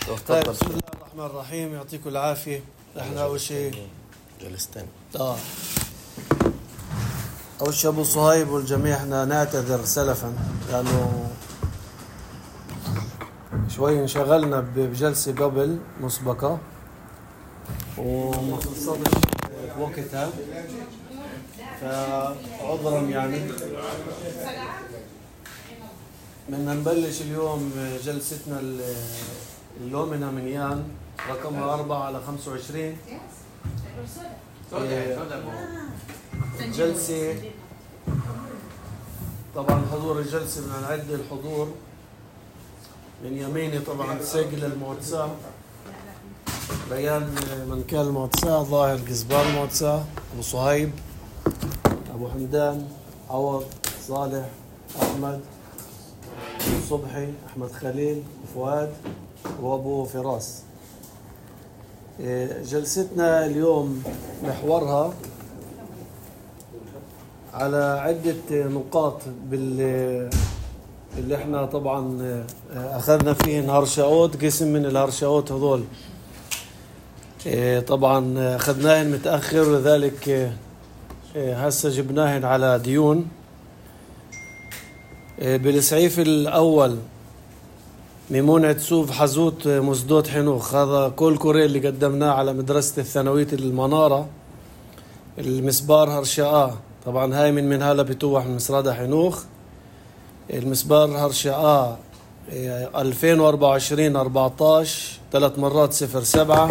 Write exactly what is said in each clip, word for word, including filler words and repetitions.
طيب بسم الله الرحمن الرحيم، يعطيكم العافية. احنا أول شيء جلستين آه أول شيء أبو صهيب والجميع احنا نعتذر سلفا لأنه شوي انشغلنا بجلسة قبل مسبقة وما خلصتش وقتها، فعذرا يعني. بدنا نبلش اليوم جلستنا اللومنا من يان رقمها أربعة على خمسة وعشرين. جلسة طبعا حضور الجلسة بدنا نعد الحضور من يميني طبعا سجل المعتصى بيان من كان المعتصى، ظاهر قزبان المعتصى، أبو صهيب، أبو حمدان، عوض، صالح، أحمد، صبحي، أحمد خليل، فؤاد، وأبو فراس. جلستنا اليوم محورها على عدة نقاط بال اللي احنا طبعا أخذنا فيه هرشاوت، قسم من الهرشاوت هذول طبعا أخذناهن متأخر، وذلك هسه جبناهن على ديون. بالسعيف الأول ميمونة سوف حزوت مزدوت حنوخ، هذا كل كوري اللي قدمناه على مدرسة الثانوية المنارة. المسبار هرشاء طبعا هاي من من هلا بتوح من مسرادة حنوخ. المسبار هرشاء ألفين وأربعة وعشرين أربعتاش ثلاث مرات صفر سبعة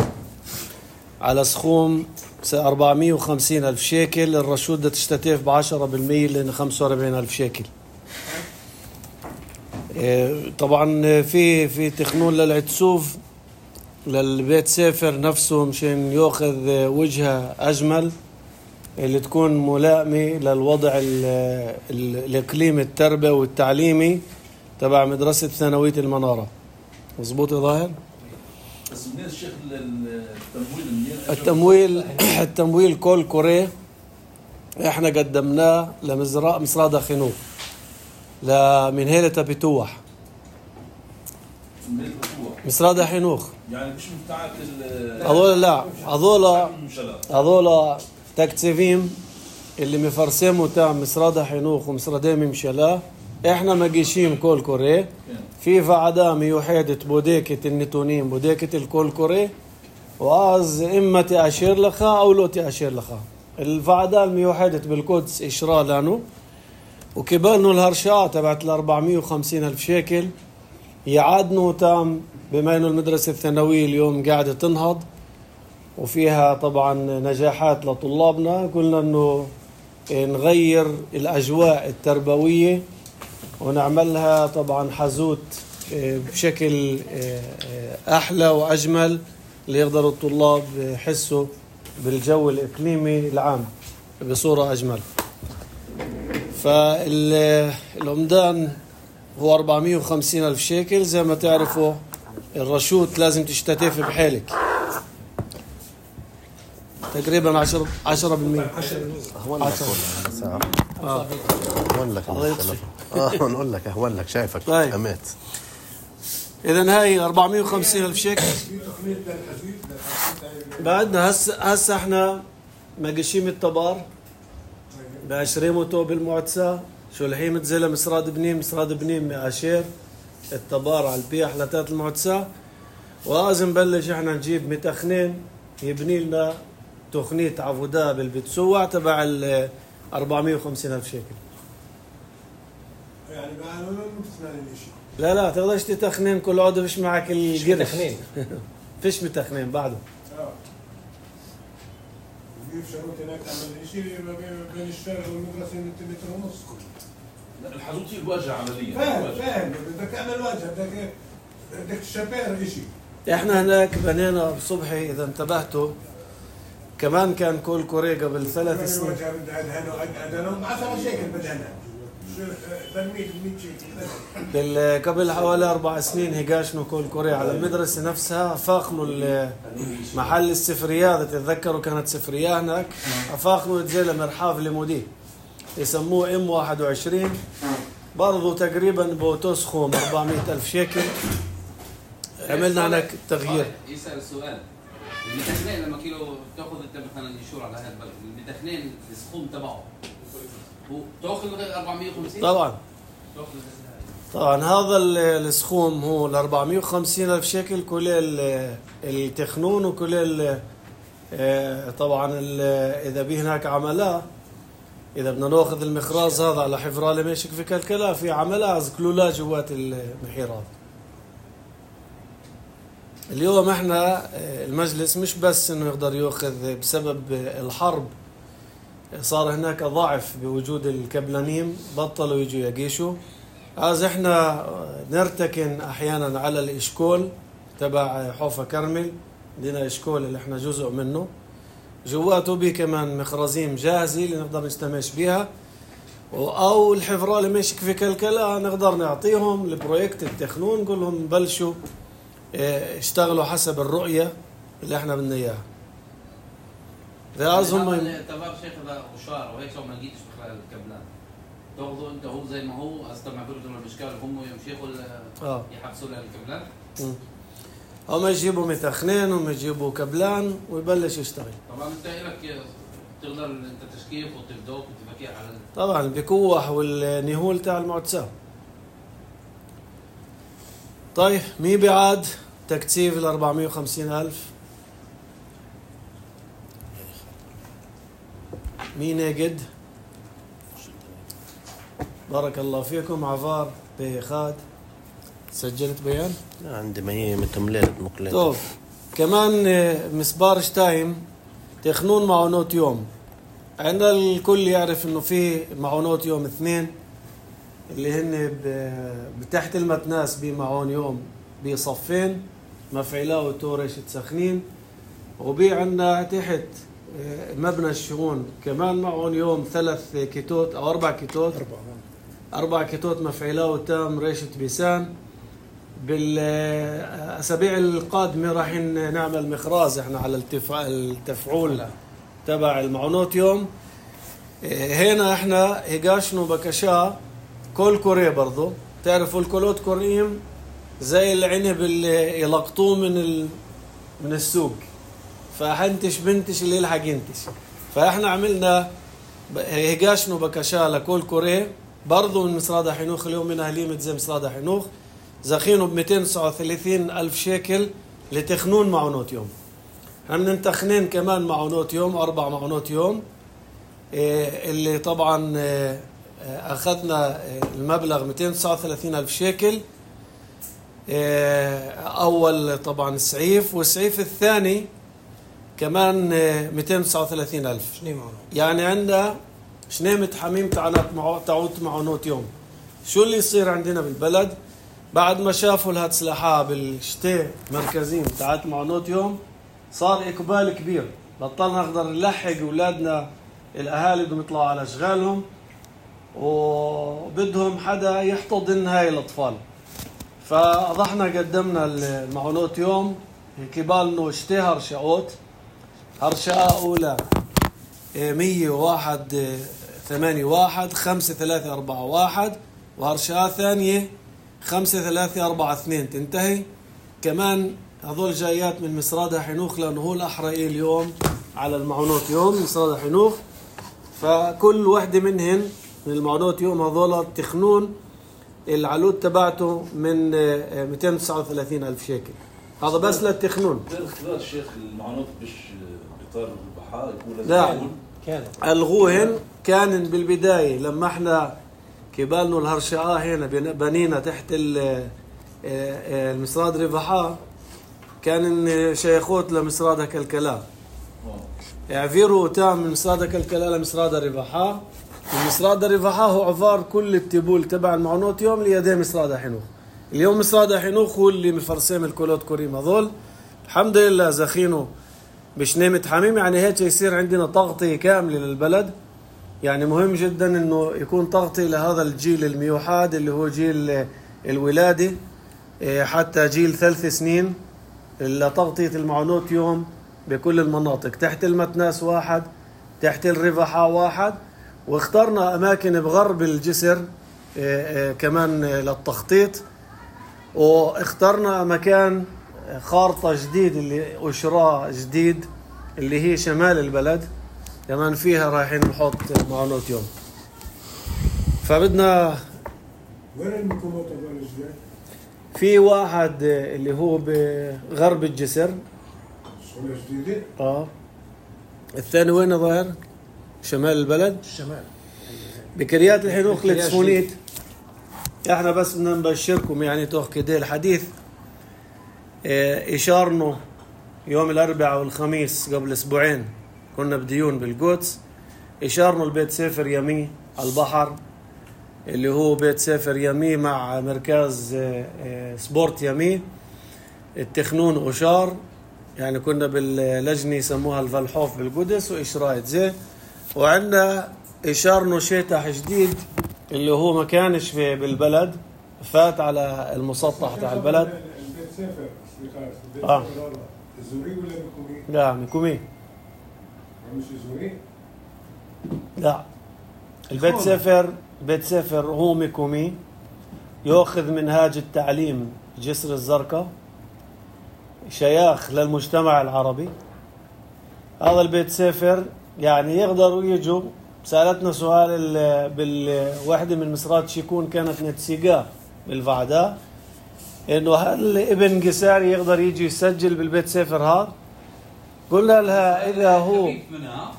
على سخوم أربعمية وخمسين ألف شيكل. الرشود ده تشتتف بعشرة بالمية لأن خمسة وأربعين ألف شيكل. طبعا في في تخنون للعتسوف للبيت سافر نفسه مشان ياخذ وجهه أجمل اللي تكون ملائمة للوضع الإقليمي التربوي والتعليمي تبع مدرسة ثانوية المنارة. مظبوط يا ظاهر؟ بس منين الشيخ التمويل منين؟ التمويل التمويل كل كوري احنا قدمناه لمزرعة مصرادة خنوخ لمن هيلة بتوح مصرادة حنوخ. يعني مش متاعت هذول لا هذول هذول تكتيفيم اللي مفرسموا تاع مصرادة حنوخ ومصرادة ممشلا. احنا مجيشيم كل كوري في فعدا ميوحدة بوديكة النتونين بوديكة الكل كوري، وعاز إما تأشير لخا أو لو تأشير لخا. الفعدا الميوحدة بالقدس إشراء لانو وكبالنو الهرشاء تبعت الأربعمية وخمسين ألف شيكل يعادنو تام، بما إنه المدرسة الثانوية اليوم قاعدة تنهض وفيها طبعا نجاحات لطلابنا. قلنا إنه نغير الأجواء التربوية ونعملها طبعا حزوت بشكل أحلى وأجمل ليقدروا الطلاب يحسوا بالجو الإقليمي العام بصورة أجمل. فالعمدان هو أربعمية وخمسين ألف شيكل. زي ما تعرفوا الرشود لازم تشتتف بحالك تقريبا عشرة عشرة بالمية. أهون لك والله آه. أهون لك آه نقول لك أهون لك شايفك أمات. إذن هاي أربعمية وخمسين ألف شيكل. بعدنا هسه هسه احنا مقشيم التبار بعشريموتو بالمعتسى شلحيمة زلة مسراد بنيم مسراد بنيم عشير التبار على البيع حلتات المعتسى. ولازم نبلش احنا نجيب متخنين يبني لنا تخنية عفودا بالبتسوع تبع ال أربعمية وخمسين ألف شيكل. يعني ما ما متخنين شيء. لا لا تقدرش تتخنين كل عضو فيش معك القرش. فيش متخنين بعده. اه. كيف شروط هناك عمل شيء بين الشارع والمدرسة متر ونص. لا الحدود هي الواجهة عملية. فاهم فاهم بدك تعمل واجهة بدك بدك تشبير شيء. احنا هناك بنينا بصبحي اذا انتبهتوا كمان كان كل كوري قبل ثلاث سنين. عشرة شيكل بدنا. برميل قبل حوالي أربع سنين هيجاشنوا كل كوريا على المدرسة نفسها. أفاقنوا محل السفريات، تتذكروا كانت سفرية هناك. أفاقنوا يتزيل مرحاف لمودي يسموه إم واحد وعشرين برضو تقريبا بوتوسخوم أربعمية ألف شيكل. عملنا هناك تغيير. يسأل السؤال، المتخنين لما كيلو تاخذ انت مثلا يشور على هذا البلد، المتخنين السخوم تبعه هو تاخذ أربعمية وخمسين؟ طبعا طبعا هذا السخوم هو ال أربعمية وخمسين ألف شيكل كل التخنون وكل طبعا اذا به هناك عملاء، اذا بدنا ناخذ المخراز هذا على حفرالة ماشي في كلكلا في عملاء كلها جوات المحيرات. اليوم احنا المجلس مش بس انه يقدر ياخذ بسبب الحرب، صار هناك ضعف بوجود الكبلانيم، بطلوا يجوا يقيشوا. از احنا نرتكن احيانا على الاشكول تبع حوفا كرمل، عندنا اشكول اللي احنا جزء منه، جواته به كمان مخرزين جاهزة اللي نقدر نستمش بيها، او الحفرة اللي ماشي في كلكلا نقدر نعطيهم البروجكت التخنون، نقول لهم بلشوا اشتغلوا حسب الرؤية اللي احنا بدنا اياها. لازم تبار شيخ هذا وشار وهيك لو ما لقيتش بخلال الكبلان تاخذوا انت هو زي ما هو استمع بردهم الاشكال هم يمشيخوا اه يحبسوا للكبلان. هم يجيبوا متخنين وهم يجيبوا كبلان ويبلش يشتغل. طبعا انت لك تقدر انت تشكيف وتبدوك وتفكير على طبعا البكوح والنهول تاع المعتسى. طيب مين بعد تكثيف ال أربعمية وخمسين ألف؟ مين ناقد؟ بارك الله فيكم. عفار بخاد سجلت بيان؟ عندي ما هي متمليت مقلات. طيب كمان مسبار شتايم تخنون معونات يوم. عندنا الكل يعرف انه في معونات يوم اثنين اللي هن بتحت المتناس بمعون يوم بصفين مفعلة وتورش تسخنين، وبي عندنا تحت مبنى الشؤون كمان معون يوم ثلاث كيتوت او اربع كيتوت اربع كيتوت مفعلة وتام ريشة بيسان. بالاسابيع القادمه راح نعمل مخراز احنا على التفعول تبع المعونات يوم. هنا احنا هجاشنو بكشا كل كوري برضو، تعرفوا الكولوت كوريم زي العنب اللي يلقطوه من ال... من السوق، فحنتش بنتش اللي يلحق ينتش. فاحنا عملنا هجاشنو بكشا لكل كوري برضو من مصرادة حنوخ. اليوم من اهليمة زي مصرادة حنوخ زخينه ب مئتين وتسعة وثلاثين ألف شيكل لتخنون معونات يوم. هم ننتخنين كمان معونات يوم أربع معونات يوم اللي طبعا أخذنا المبلغ مئتين وتسعة وثلاثين ألف شيكل. أول طبعا السعيف، والسعيف الثاني كمان مئتين وتسعة وثلاثين ألف. يعني عندنا شنيمة حميم تعود معونات يوم. شو اللي يصير عندنا بالبلد بعد ما شافوا الهاتسلحة بالشتاء مركزين تعات معونات يوم؟ صار إقبال كبير، بطلنا نقدر نلحق أولادنا الأهالي بدهم يطلعوا على أشغالهم وبدهم حدا يحتضن هاي الأطفال. فأضحنا قدمنا المعونات يوم كبالنا شتاء هرشاوت. هرشاء أولى مية وواحد ثمانية واحد خمسة ثلاثة أربعة واحد، وهرشاء ثانية خمسة ثلاثة أربعة اثنين تنتهي. كمان هذول جايات من مصرادة حنوخ لأنه هو الأحرائي اليوم على المعونات يوم مصرادة حنوخ. فكل واحدة منهن من المعونات يوم هذول تخنون العلود تبعته من مئتين وتسعة وثلاثين ألف شيكل. هذا بس للتخنون. اختبار الشيخ المعونات مش بإطار البحار لا الغوهن كان بالبداية لما احنا كبالنا الهرشاء هنا بنينا تحت المصراد رفحاء كان شيخوت لمصراد كلكلا يعفيروا تام من مصراد كلكلا لمصراد رفحاء. المصراد رفحاء هو عفار كل التبول تبع المعونات يوم ليدي مصراد حنوخ. اليوم مصراد حنوخ هو اللي مفرسم الكولوت كوريم هذول. الحمد لله زخينه بشنيمة حميم، يعني هيك يصير عندنا تغطية كاملة للبلد. يعني مهم جدا انه يكون تغطية لهذا الجيل الميوحاد اللي هو جيل الولادة حتى جيل ثلاث سنين، لتغطية المعونات يوم بكل المناطق تحت المتناس واحد، تحت الرفحاء واحد، واخترنا اماكن بغرب الجسر كمان للتخطيط. واخترنا مكان خارطة جديد اللي أشراء جديد اللي هي شمال البلد، كمان فيها رايحين نحط معونات يوم. فبدنا وين المكونات هذول الجداد؟ في واحد اللي هو بغرب الجسر. شغلة جديدة؟ اه. الثاني وين ظاهر؟ شمال البلد. الشمال بكريات الحنوخ التسفونيت. احنا بس بدنا نبشركم يعني توخ كده الحديث اه اشارنا يوم الاربعاء والخميس قبل اسبوعين كنا بديون بالقدس. اشارنا البيت سفر يمي على البحر اللي هو بيت سفر يمي مع مركز اه اه سبورت يمي التخنون أشار، يعني كنا باللجنة يسموها الفالحوف بالقدس وإشرايت زي. وعندنا إشارنا شيطح جديد اللي هو ما كانش في بالبلد، فات على المسطح تاع البلد. البيت سفر البيت آه. سفر هذا الزوري ولا بكومي؟ لا مكومي. مش زوري؟ لا البيت سفر بيت سفر هو مكومي، يأخذ منهاج التعليم جسر الزرقاء، شياخ للمجتمع العربي. هذا البيت سفر يعني يقدروا يجوا. سألتنا سؤال بالوحدة من مصرات شيكون كانت نتسيقاه بالفعداء إنه هل ابن قساري يقدر يجي يسجل بالبيت سفر هذا؟ قلنا لها إذا هو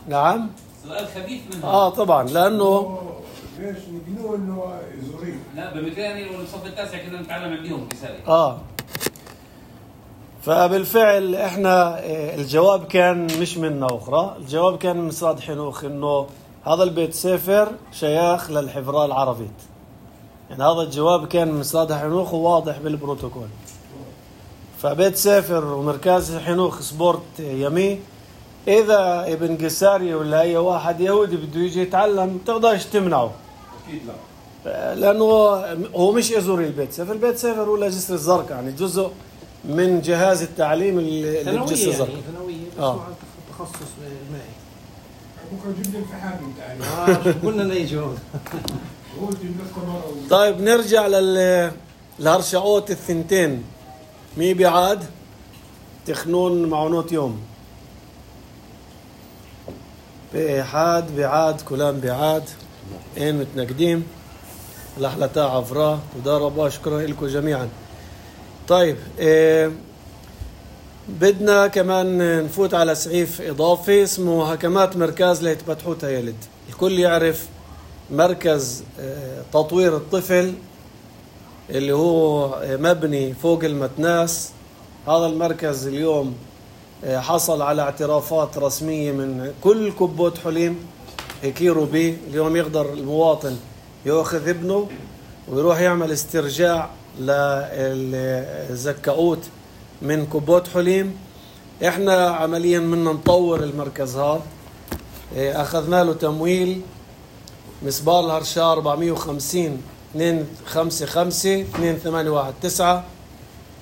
نعم سؤال خبيث منها. آه طبعا لأنه ليش نقولوا إنه زوري؟ لا بالمكاني والصف التاسع كنا نتعلم عندهم قساري. آه فبالفعل احنا الجواب كان مش منا اخرى، الجواب كان من مصراد حنوخ انه هذا البيت سفر شياخ للحفراء العربيت. يعني هذا الجواب كان من مصراد حنوخ وواضح بالبروتوكول. فبيت سفر ومركز حنوخ سبورت يمي، اذا ابن قساري ولا اي واحد يهودي بده يجي يتعلم تقدرش تمنعه. اكيد لا، لانه هو مش ازوري البيت سفر، البيت سفر ولا جسر الزرقاء يعني جزء من جهاز التعليم اللي بجسر الزرقاء. يعني ثانوية بس آه. مع تخصص المائي. بكره جبنا الفحام بتاعنا. آه قلنا نيجي هون. هو جبنا التمر. طيب نرجع لل الهرشعوت الثنتين. مي بعاد تخنون معونوت يوم بإحاد بعاد كلام بعاد إن متنقدين لحلتا عفرا وداربا شكرا لكم جميعا. طيب إيه بدنا كمان نفوت على سعيف إضافي اسمه هكمات مركز ليتبتحوتها يلد. الكل يعرف مركز إيه تطوير الطفل اللي هو مبني فوق المتناس. هذا المركز اليوم حصل على اعترافات رسمية من كل كبوت حليم يكيروا به. اليوم يقدر المواطن يأخذ ابنه ويروح يعمل استرجاع للزكاوت من كبوت حليم. احنا عمليا منا نطور المركز هذا، اخذنا له تمويل مسبار الهرشا أربعمية وخمسين اثنين خمسة خمسة اثنين ثمانية واحد تسعة.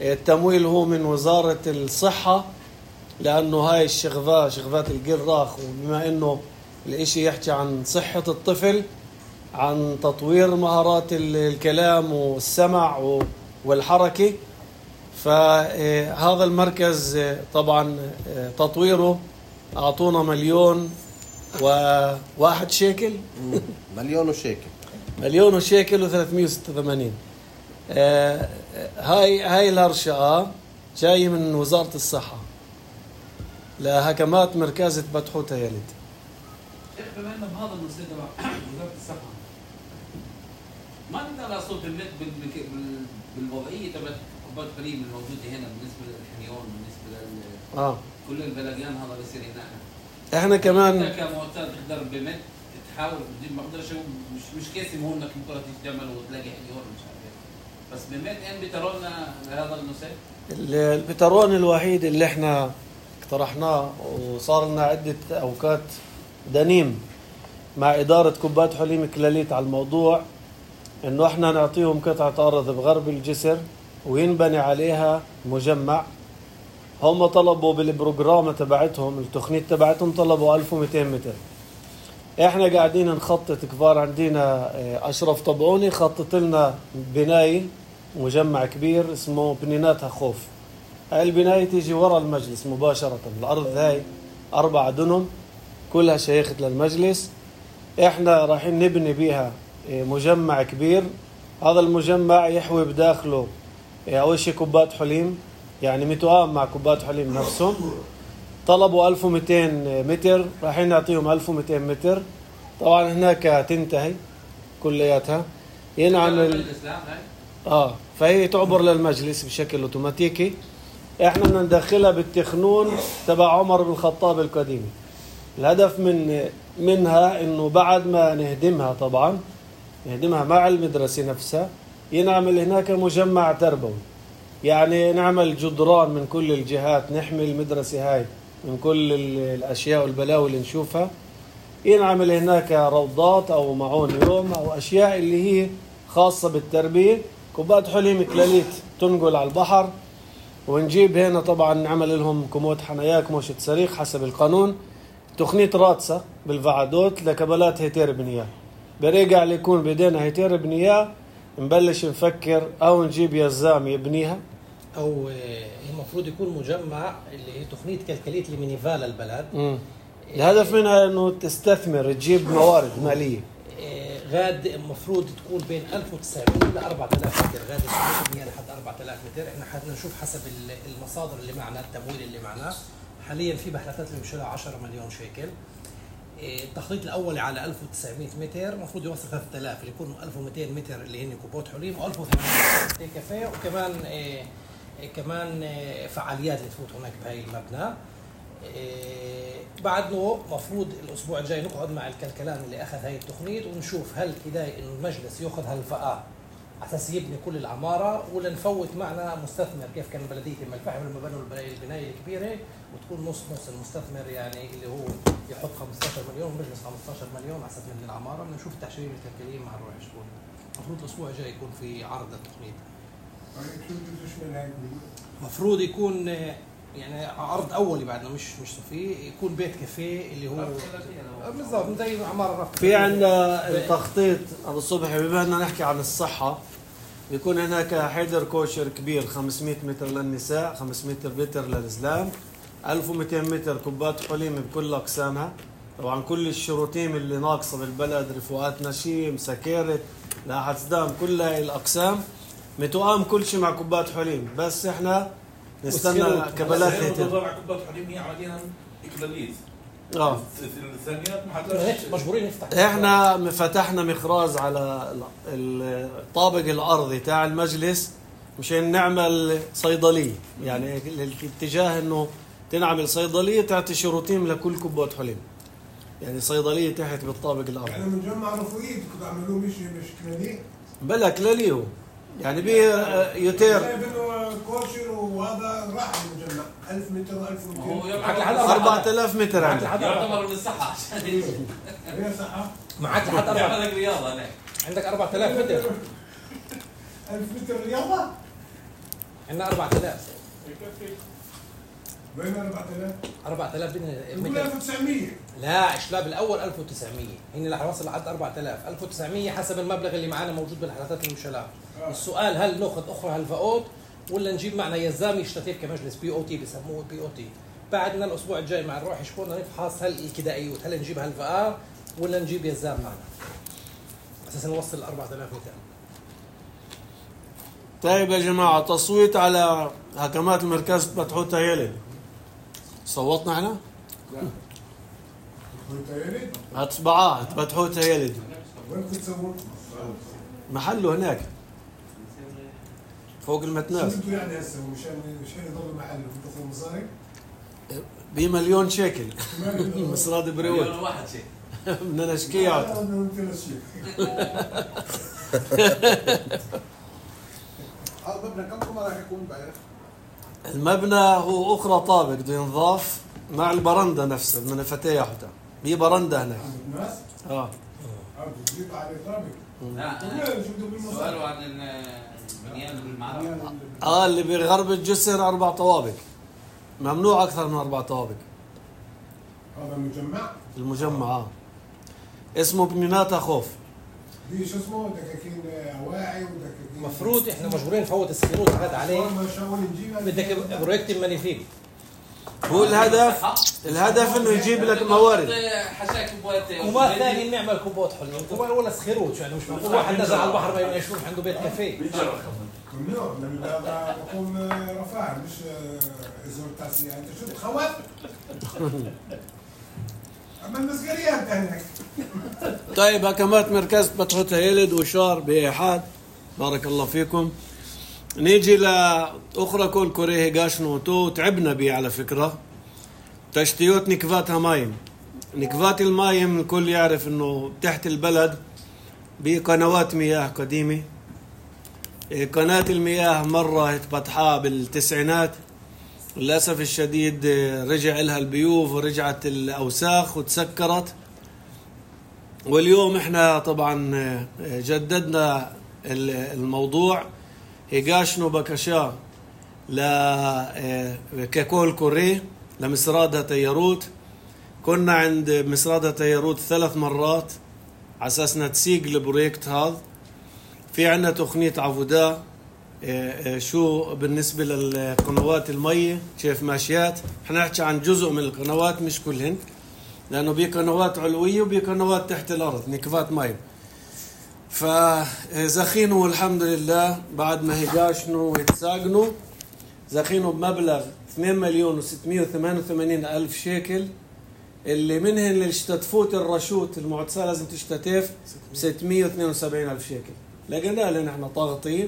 التمويل هو من وزارة الصحة لأنه هاي الشغفة شغفات القراخ، وبما أنه الاشي يحكي عن صحة الطفل، عن تطوير مهارات الكلام والسمع والحركة. فهذا المركز طبعا تطويره أعطونا مليون وواحد شيكل مليون وشيكل مليون وشيكل وثلاثمية وستة وثمانين. آه هاي هاي الهرشة جاي من وزارة الصحة لهكمات مركز تبتحوتها يلد. بما انه بهذا النصيب تبع وزارة الصحة ما نقدر على صوت النت بالوضعية تبع كبات حليم الموجودة هنا بالنسبة للحميون بالنسبة لل اه كل البلديان هذا بيصير هنا. احنا كمان انت كمؤسسة تقدر بمت تحاول ما بقدرش مش مش كاسي مهم انك بكره تيجي تعمل وتلاقي حميون مش عارف بس بمت ان بترولنا لهذا النصيب. البترون الوحيد اللي احنا اقترحناه وصار لنا عدة اوقات دنيم مع إدارة كبات حليم كلاليت على الموضوع انه احنا نعطيهم قطعة ارض بغرب الجسر وينبني عليها مجمع. هم طلبوا بالبروجرام تبعتهم التخنيت تبعتهم طلبوا ألف ومئتين متر. احنا قاعدين نخطط كبار. عندنا اشرف طبعوني خطط لنا بناية مجمع كبير اسمه بنينات خوف. هاي البناية تيجي ورا المجلس مباشرة. الأرض هاي أربع دنم كلها شيخت للمجلس. إحنا رايحين نبني بيها مجمع كبير. هذا المجمع يحوي بداخله أول شيء كوبات حليم، يعني متوائم مع كوبات حليم نفسهم. طلبوا ألف ومئتين متر، رايحين نعطيهم ألف ومئتين متر. طبعا هناك تنتهي كلياتها ينعمل اه فهي تعبر للمجلس بشكل اوتوماتيكي. احنا بدنا ندخلها بالتخنون تبع عمر بن الخطاب القديم. الهدف من منها انه بعد ما نهدمها، طبعا نهدمها مع المدرسة نفسها، ينعمل هناك مجمع تربوي، يعني نعمل جدران من كل الجهات نحمي المدرسة هاي من كل الاشياء والبلاوي اللي نشوفها. ينعمل هناك روضات او معون يوم او اشياء اللي هي خاصة بالتربية. كوبات حليم كلاليت تنقل على البحر، ونجيب هنا طبعا نعمل لهم كموت حنايا كموشة صريخ حسب القانون. تقنية راتسة بالفعدوت لكبلات هيتير بنياه. برجع ليكون بدينا هيتير بنياه نبلش نفكر او نجيب يزام يبنيها، او المفروض يكون مجمع اللي هي تقنية كلكليت لمينيفال البلد. م. الهدف منها انه تستثمر تجيب موارد مالية. غاد المفروض تكون بين ألف وتسعمية ل أربعة آلاف متر، غاد تبنيها لحد أربعة آلاف متر. احنا حدنا نشوف حسب المصادر اللي معنا، التمويل اللي معنا حاليا في بحثات اللي بشيلها عشرة مليون شيكل. التخطيط الاولي على ألف وتسعمية متر المفروض يوصل ثلاثة آلاف، اللي يكون ألف ومئتين متر اللي هن كوبوت حليم، و ألف وثمانمئة متر كافيه، وكمان إيه كمان إيه فعاليات اللي تفوت هناك بهاي المبنى. إيه بعد مفروض الاسبوع الجاي نقعد مع الكلكلان اللي اخذ هاي التقنية ونشوف هل كده انه المجلس ياخذ هالفئة على اساس يبني كل العماره، ولا نفوت معنا مستثمر كيف كان بلديه ام الفحم لما بنوا البنايه الكبيره وتكون نص نص المستثمر، يعني اللي هو يحط خمسة عشر مليون والمجلس خمسة عشر مليون على اساس نبني العماره. بدنا نشوف التحشيرين الكلكليين مع الروح شكون. المفروض الاسبوع الجاي يكون في عرض للتقنيه. المفروض يكون يعني عرض اولي بعدنا مش مش صفي، يكون بيت كافيه اللي هو بالضبط زي عماره رفع. في عندنا التخطيط ابو الصبح بما بدنا نحكي عن الصحه، بيكون هناك حيدر كوشر كبير خمسمئة متر للنساء، خمسمئة متر للزلام، ألف ومئتين متر كوبات حليم بكل اقسامها. طبعا كل الشروطين اللي ناقصه بالبلد، رفوقات نشيم، سكرت، لاحة دم، كل هاي الاقسام متوائم كل شيء مع كوبات حليم. بس احنا نستنى كبلات هيتر. كوبات حليم هي عمليا اكلاليت. اه الثانيات ما حتلاقي مجبورين نفتح. احنا فتحنا مخراج على الطابق الارضي تاع المجلس مشان نعمل صيدليه، يعني الاتجاه انه تنعمل صيدليه تعطي شروطين لكل كوبات حليم، يعني صيدليه تحت بالطابق الارضي. يعني مجمع رفوقي كنت عملوه مش مش كلالي بلا كلالي هو يعني بيه يوتير كوشر، وهذا راح المجمع ألف متر ألف ومئتين أربعة آلاف متر عندك. يعتبر من الصحة عشان هي صحة معك لحد أربعة عندك رياضة هناك، عندك أربعة آلاف متر. ألف متر رياضة عندنا أربعة آلاف. وين أربعة آلاف؟ أربعة آلاف بنقول ألف وتسعمية. لا الشلاب الأول ألف وتسعمية، هن رح يوصل لحد أربعة آلاف. ألف وتسعمية حسب المبلغ اللي معنا موجود بالحالات المشلات. آه. السؤال هل ناخذ أخرى هالفئات ولا نجيب معنا يزام يشترك كمجلس بي او تي، بسموه بي او تي. بعدنا الأسبوع الجاي مع الروح شكون نفحص هل الكدائيوت هل نجيب هالفئة ولا نجيب يزام معنا أساسا نوصل ل أربعة آلاف متر. طيب يا جماعة، تصويت على حكمات المركز بتحوتها يلد. صوتنا احنا؟ لا بتحوتها يلد؟ هتصبعاه بتحوتها يلد. وين كنت تصوت؟ محله هناك فوق المتناس. شو بده يعني هسه مشان مشان يضل محله بده ياخذ مصاري؟ بمليون شيكل مصراد بريوت. مليون واحد شيء. بدنا نشكيه عاد. هذا المبنى كم كم راح يكون بعرف؟ المبنى هو اخرى طابق بده ينضاف مع البرندة نفسها، بدنا نفتحها حتى في برندة هناك. الناس؟ اه اه بتضيق على طابق. لا سؤال عن البنيان بالمعرض. اه اللي بغرب الجسر اربع طوابق، ممنوع اكثر من اربع طوابق. هذا المجمع؟ المجمع اه اسمه بنينات خوف. دي شو اسمه دكاكين اواعي ودكاكين المفروض احنا مجبورين نفوت السكروت هذا عليه. ما شاول نجيبها بدك بروجكت مانيفيك. هو الهدف الهدف انه يجيب لك موارد. حشاك كوبات كوبات ثاني نعمل كوبات حلوين، كوبات ولا سخيروت يعني مش معقول واحد نزل على البحر ما يشوف عنده بيت كافيه. ممنوع لان هذا بكون رفاع مش ازور تاسية. انت شو بتخوف؟ اما المسجريات هناك. طيب حكمات مركز بطحوت هيلد وشار بإيحاد، بارك الله فيكم. نيجي لأخرى كل كوريه هيغاشنو تو تعبنا بيه على فكرة. تشتيوت نكفاتها مايم. نكفات المايم الكل يعرف انه تحت البلد بقنوات مياه قديمة. قناة المياه مرة اتفتحها بالتسعينات، للأسف الشديد رجع لها البيوف ورجعت الأوساخ وتسكرت. واليوم احنا طبعا جددنا الموضوع. هيغاشنو بكشا لككول كوريه لمسرادة تياروت. كنا عند مسرادة تياروت ثلاث مرات على أساس نتسيق البروجكت هذا. في عنا تقنية عبودا شو بالنسبة للقنوات المية كيف ماشيات. احنا نحكي عن جزء من القنوات مش كلهن، لأنه بي قنوات علوية وبي قنوات تحت الأرض نكفات مي. فزخينوا الحمد لله بعد ما هيغاشنوا ويتساقنوا، زخينوا بمبلغ اثنين مليون وستمائة وثمانية وثمانين ألف شيكل، اللي منهن اللي اشتتفوت الرشوت المعتصة لازم تشتتف ستمائة واثنين وسبعين ألف شيكل. لقينا لنا احنا طاغطين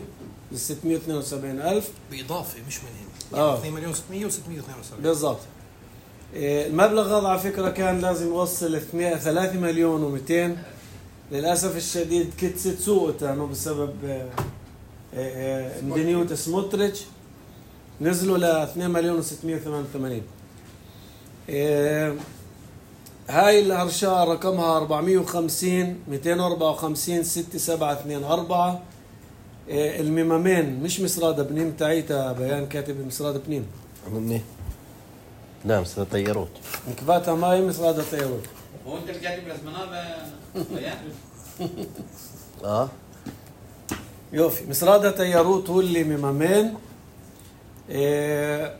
ب ستمائة واثنين وسبعين ألف بإضافة مش منهم آه. يعني اثنين مليون وستمائة وستمائة واثنين وسبعين بالضبط. المبلغ هذا على فكرة كان لازم يوصل ثلاثة مليون ومئتين. للأسف الشديد كتست سوقته بسبب مدنيوت سموتريتش، نزلوا ل اثنين مليون وستمائة وثمانية وثمانين. هاي الهرشة رقمها أربعمائة وخمسين مئتين وأربعة وخمسين ستة سبعة اثنين أربعة. الميمامين مش مسرادة بنين تاعيتا بيان كاتب مسرادة بنين. مني لا مسرادة طياروت. نكفاتها ماي مسرادة طياروت. هو انت الكاتب رسمناه بيان؟ اه يوفي مسرادة طياروت هو اللي ميمامين. إيه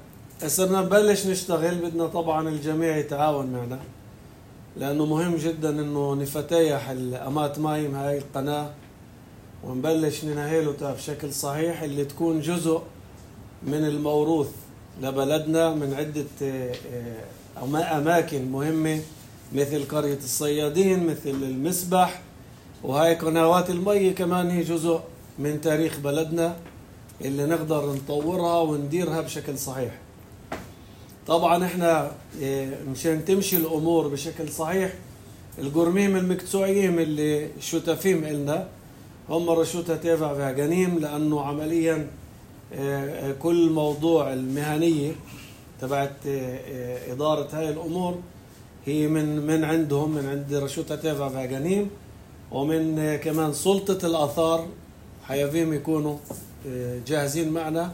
صرنا نبلش نشتغل. بدنا طبعا الجميع يتعاون معنا، لأنه مهم جدا إنه نفتيح الأمات مايم هاي القناة ونبلش ننهيلها بشكل صحيح، اللي تكون جزء من الموروث لبلدنا من عدة أماكن مهمة مثل قرية الصيادين، مثل المسبح. وهاي قنوات المي كمان هي جزء من تاريخ بلدنا اللي نقدر نطورها ونديرها بشكل صحيح. طبعا احنا مشان تمشي الامور بشكل صحيح، القرميم المقطوعيين اللي شتافين إلنا هم رشوتها تابع فاغانيم، لانه عمليا كل موضوع المهنيه تبعت اداره هاي الامور هي من من عندهم، من عند رشوتها تابع فاغانيم، ومن كمان سلطه الاثار حيافيهم يكونوا جاهزين معنا.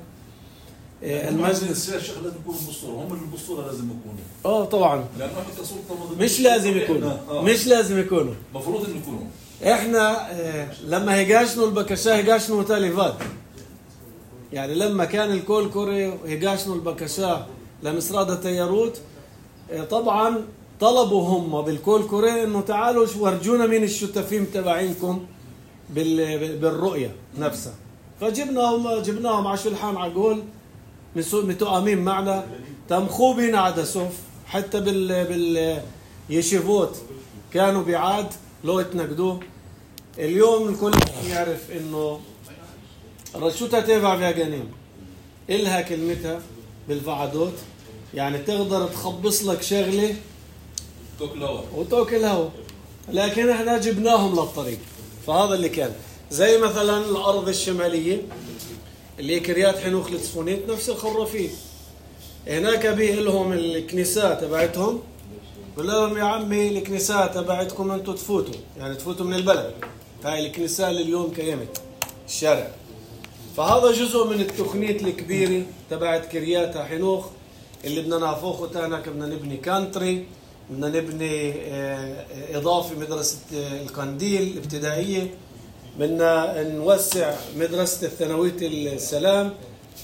المجلس الشيخ لازم يكونوا بالصورة، هم اللي بالصورة لازم يكونوا. اه طبعا لأنه احنا كسلطة مش لازم يكونوا آه. مش لازم يكونوا المفروض انه يكونوا. احنا اه لما هيغاشنوا البكشاه هيغاشنوا تاليفات، يعني لما كان الكول كوري هيغاشنوا البكشاه لمسرادة تياروت، اه طبعا طلبوا هم بالكول كوري انه تعالوا ورجونا مين الشتافين تبعينكم بالرؤية نفسها. فجبناهم جبناهم على شلحان عقول متؤامين معنا، تمخوا بينا عدا سوف، حتى بال باليشيفوت كانوا بعاد لو يتنقدوه. اليوم الكل يعرف انه رشوتها تابع فاغانيم إلها كلمتها بالفعدوت، يعني تقدر تخبص لك شغله توكل هوا وتوكل هوا، لكن احنا جبناهم للطريق. فهذا اللي كان زي مثلا الارض الشماليه اللي كريات حنوخ لتصفونيت نفس الخرافين، هناك بيه لهم الكنيسات تبعتهم، قال لهم يا عمي الكنيسات تبعتكم انتم تفوتوا، يعني تفوتوا من البلد. هاي الكنيسة اللي اليوم قيمت الشارع. فهذا جزء من التقنية الكبيرة تبعت كرياتها حنوخ اللي بدنا نعفوخه تانك. بدنا نبني كانتري، بدنا نبني إضافة مدرسة القنديل الابتدائية، بدنا نوسع مدرسة الثانوية السلام.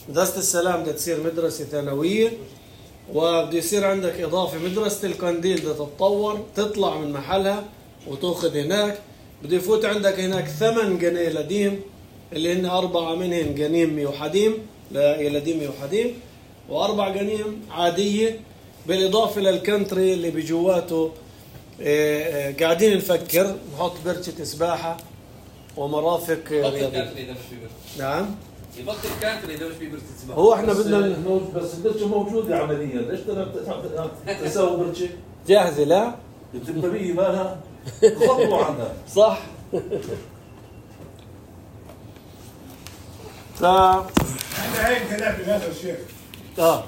مدرسة السلام بدها تصير مدرسة ثانوية، وبده يصير عندك إضافة مدرسة القنديل بدها تتطور تطلع من محلها وتأخذ هناك. بده يفوت عندك هناك ثمان جنيه لديم اللي هن أربعة منهن جنيم وحديم لديم وحديم، وأربع جنيم عادية، بالإضافة للكنتري اللي بجواته. قاعدين نفكر نحط برشة سباحة ومرافق رياضية. نعم يبطل كانتري اذا مش في برشة سباحة. هو احنا بدنا بس البرشة موجودة عمليا، ليش تسوي برشة؟ جاهزة لا؟ التنبيه مالها خطوة عنها. صح. ف احنا هيك هلا بهذا الشيخ اه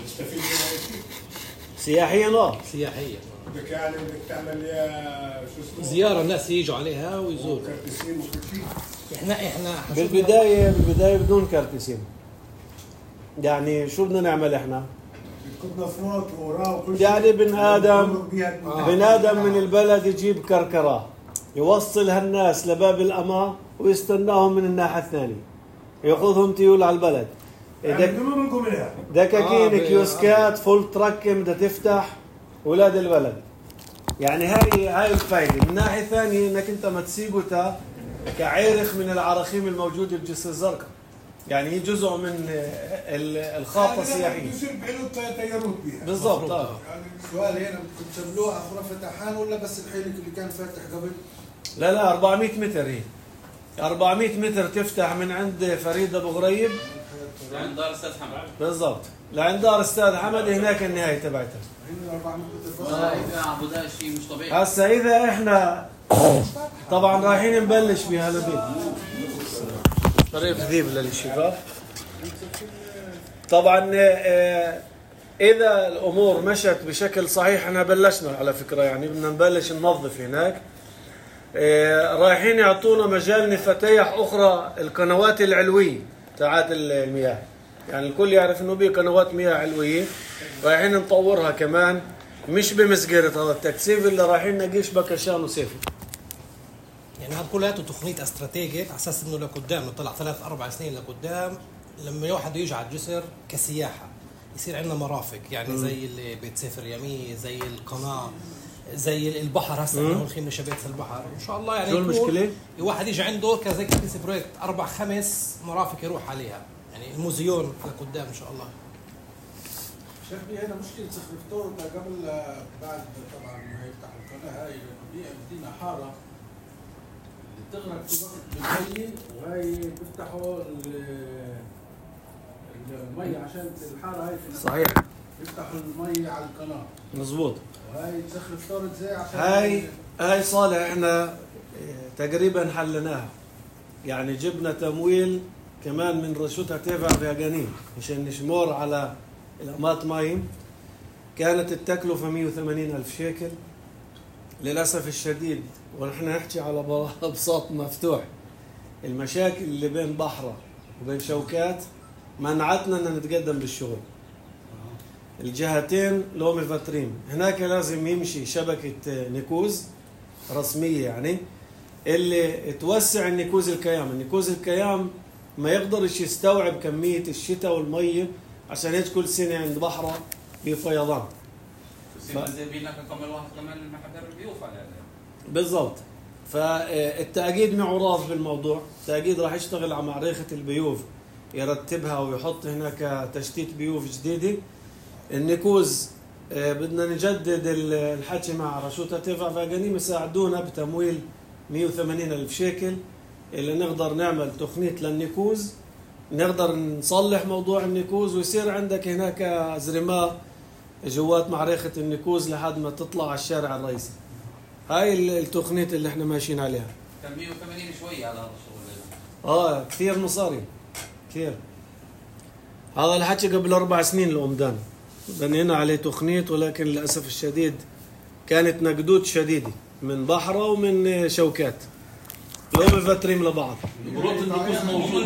نستفيد منها شيء سياحيا اه سياحيه بدك يعني بدك تعمل يا شو اسمه زياره الناس يجوا عليها ويزوروا. كرتسين وكل شيء. احنا احنا بالبداية بالبداية بدون كارتسين. يعني شو بدنا نعمل احنا؟ بدكم نفوت وراه وكل شيء. يعني بن آدم آه. بن آدم من البلد يجيب كركرة يوصل هالناس لباب الأما ويستناهم من الناحية الثانية، يأخذهم تيول على البلد. يعني بدنا منكم منها. دكاكين آه كيوسكات فول ترك بدها تفتح ولاد البلد. يعني هاي هاي الفائدة. من ناحية ثانية انك انت ما تسيبه تا كعيرخ من العراخيم الموجودة بجسر الزرقاء. يعني هي جزء من الخاطة السياحية. يصير بعينه تيارات بيها. بالضبط. اه السؤال هنا بدكم تعملوها غرفة حان ولا بس الحيلك اللي كان فاتح قبل؟ لا لا أربعمية متر هي. أربعمية متر تفتح من عند فريد ابو غريب لعند دار استاذ حمد. بالضبط لعند دار استاذ حمد، هناك النهاية تبعتها. هنا أربعمية متر والله اذا عبودها شيء مش طبيعي. هسا اذا احنا طبعا رايحين نبلش بهالبيت طريق ذيب للشباب. طبعا آه، اذا الامور مشت بشكل صحيح احنا بلشنا على فكره، يعني بدنا نبلش ننظف هناك. آه، رايحين يعطونا مجال نفتيح اخرى القنوات العلويه تاعت المياه، يعني الكل يعرف انه بيه قنوات مياه علويه، رايحين نطورها كمان مش بمسجرة هذا التكثيف اللي رايحين نقيش بكشان وسيفي. يعني هذا كلياته تخطيط استراتيجي على اساس انه لقدام نطلع ثلاث اربع سنين لقدام لما واحد يجي على الجسر كسياحه يصير عندنا مرافق، يعني م. زي اللي بيت سيف اليمين، زي القناه، زي البحر. هسه احنا ملخين شبيت في البحر ان شاء الله. يعني شو المشكله؟ الواحد يجي عنده كزي كيس بروجكت اربع خمس مرافق يروح عليها، يعني الموزيون لقدام ان شاء الله. شيخ بي هنا مشكلة سخرفتور قبل بعد طبعا ما يفتحوا القناة هاي بدينا حارة بتغرق في وقت بالليل، وهي بيفتحوا المي عشان الحارة هاي في صحيح بيفتحوا المي على القناة. مزبوط. وهي سخرفتور ازاي عشان هاي هاي صالح احنا تقريبا حلناها، يعني جبنا تمويل كمان من رشوتها تيفا فيغانين عشان نشمر على الأمات مايم. كانت التكلفة مية وثمانين ألف شيكل. للأسف الشديد ونحن نحكي على بساط مفتوح، المشاكل اللي بين بحرة وبين شوكات منعتنا أن نتقدم بالشغل. الجهتين لو مفترين، هناك لازم يمشي شبكة نيكوز رسمية يعني اللي توسع النيكوز الكيام. النيكوز الكيام ما يقدرش يستوعب كمية الشتاء والمية، عشان هيك كل سنة عند بحرة بفيضان. ف... زي بينا كمان واحد كمان المحاضر البيوف على هذا. بالضبط. فالتأكيد معه راض بالموضوع، التأكيد راح يشتغل على معرفة البيوف يرتبها ويحط هناك تشتيت بيوف جديدة. النيكوز بدنا نجدد الحكي مع رشوتها تيفا فاغانيم يساعدونا بتمويل مية وثمانين ألف شيكل اللي نقدر نعمل تخنيط للنيكوز، نقدر نصلح موضوع النيكوز ويصير عندك هناك زرماء جوات معركة النيكوز لحد ما تطلع على الشارع الرئيسي. هاي التخنيط اللي احنا ماشيين عليها. كان مية وثمانين شوية على هذا الشغل. اه كثير مصاري كثير. هذا الحكي قبل أربع سنين الأمدان بنينا عليه تخنيط، ولكن للأسف الشديد كانت نقدود شديدة من بحرة ومن شوكات لو مفترين لبعض. النيكوز موجود.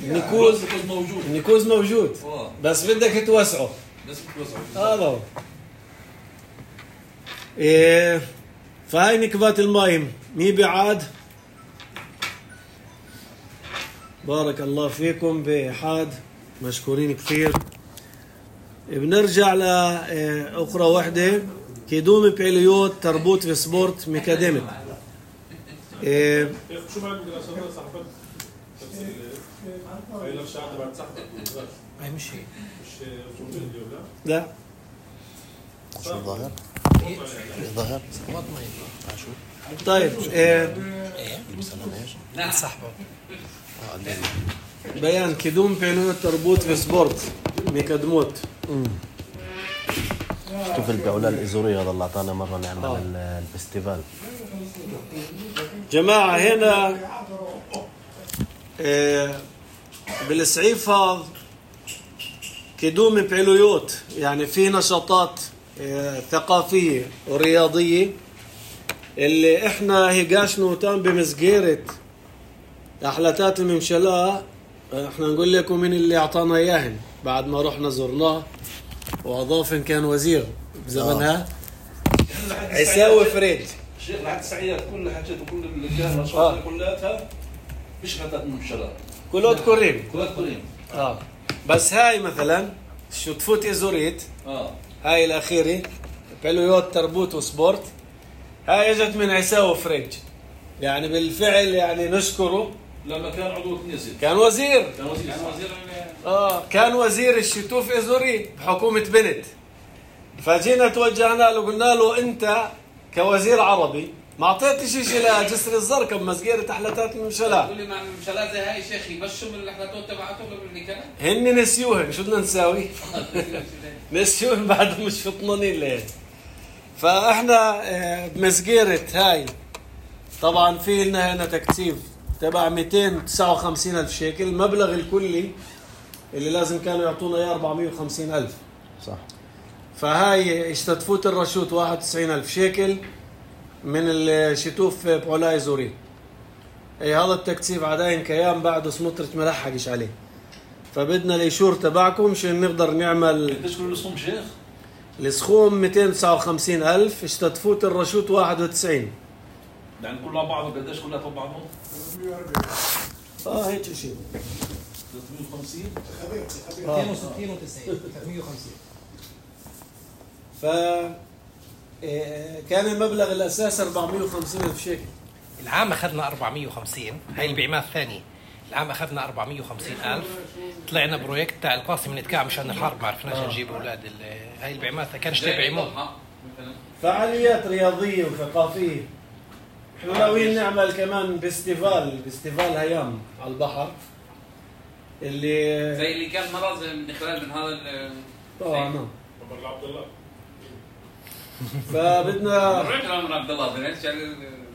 النيكوز موجود. النيكوز موجود بس بدك توسعه. بس توسعه. هذا هو. إيه فهاي نكبات المايم مي بعاد بارك الله فيكم بإحاد، مشكورين كثير. بنرجع لأخرى وحدة، كيدوم بيليوت تربوت في سبورت ميكاديميك. إيه شو بعد دراسات صحفت؟ هاي نفس الشعب بعد صحفت. هاي مش هي مش رسوم فيديو لا؟ لا شو ظاهر؟ ظاهر؟ سقوط ما يطلع شو طيب إيه مثلا ايش؟ لا صاحبه اه قدام. بيان كيدوم بيليوت تربوت في سبورت ميكادموت. شوف الجولة الإزورية هذا اللي أعطانا مرة نعمل آه. الفستيفال. جماعة هنا إيه بالسعيفة كيدوم بيليوت، يعني في نشاطات إيه ثقافية ورياضية اللي احنا هيقاشنو تام بمسجيرة أحلاتات الممشلاء. احنا نقول لكم من اللي اعطانا اياهن بعد ما رحنا زرناه، واضاف ان كان وزير بزمنها آه. عيساوي فريد. الشيخ لحد السعيات كل حاجات وكل النشاطات كلها مش غدات من الشراب كلوت كوريم كلها كريم. اه بس هاي مثلا شو تفوت ازوريت اه هاي الاخيره بيليوت تربوت وسبورت، هاي اجت من عيساوي فريد. يعني بالفعل يعني نشكره لما كان عضو كنيسة كان وزير كان وزير كان وزير اه كان وزير الشتوف ازوري بحكومه بنت. فجينا توجهنا له قلنا له انت كوزير عربي ما اعطيتش شيء لجسر الزرقاء بمسجيرة احلاتات الممشلاء. تقول لي مع الممشلاء زي هاي شيخ يمشوا من الاحلاتات تبعتهم اللي كانت هن نسيوهن، شو بدنا نساوي؟ نسيوهن بعد مش فطنانين ليه. فاحنا بمسجيرة هاي طبعا في لنا هنا تكتيف تبع مئتين وتسعة وخمسين ألف شيكل. المبلغ الكلي اللي لازم كانوا يعطونا اياه أربعمئة وخمسين ألف. صح. فهاي اشتتفوت الرشوت واحد وتسعين ألف شيكل من الشتوف بعلاي زوري. اي هذا التكتيف عداين كيام بعده سمطرة ملحقش عليه. فبدنا الإيشور تبعكم عشان نقدر نعمل. قديش كل السخوم شيخ؟ السخوم مئتين وتسعة وخمسين ألف، اشتتفوت الرشوت واحد وتسعين. يعني كلها بعض قديش كلها فوق بعضهم؟ اه هيك شيء ثلاثمئة وخمسين مئتين وستين وتسعين ثلاثمئة وخمسين. ف كان المبلغ الأساس أربعمئة وخمسين ألف شيكل. العام اخذنا أربعمئة وخمسين، هاي البيعمات الثانيه. العام اخذنا أربعمئة وخمسين ألف، طلعنا بروجكت تاع القاسم نتكع مشان الحرب، ما عرفناش نجيب اولاد. هاي البيعمات كانش تبعيمون فعاليات رياضيه وثقافيه. احنا ناويين نعمل كمان فيستيفال فيستيفال هيام على البحر اللي زي اللي كان مرض من خلال من هذا اه نعم. عمر عبد الله فبدنا عمر عبد الله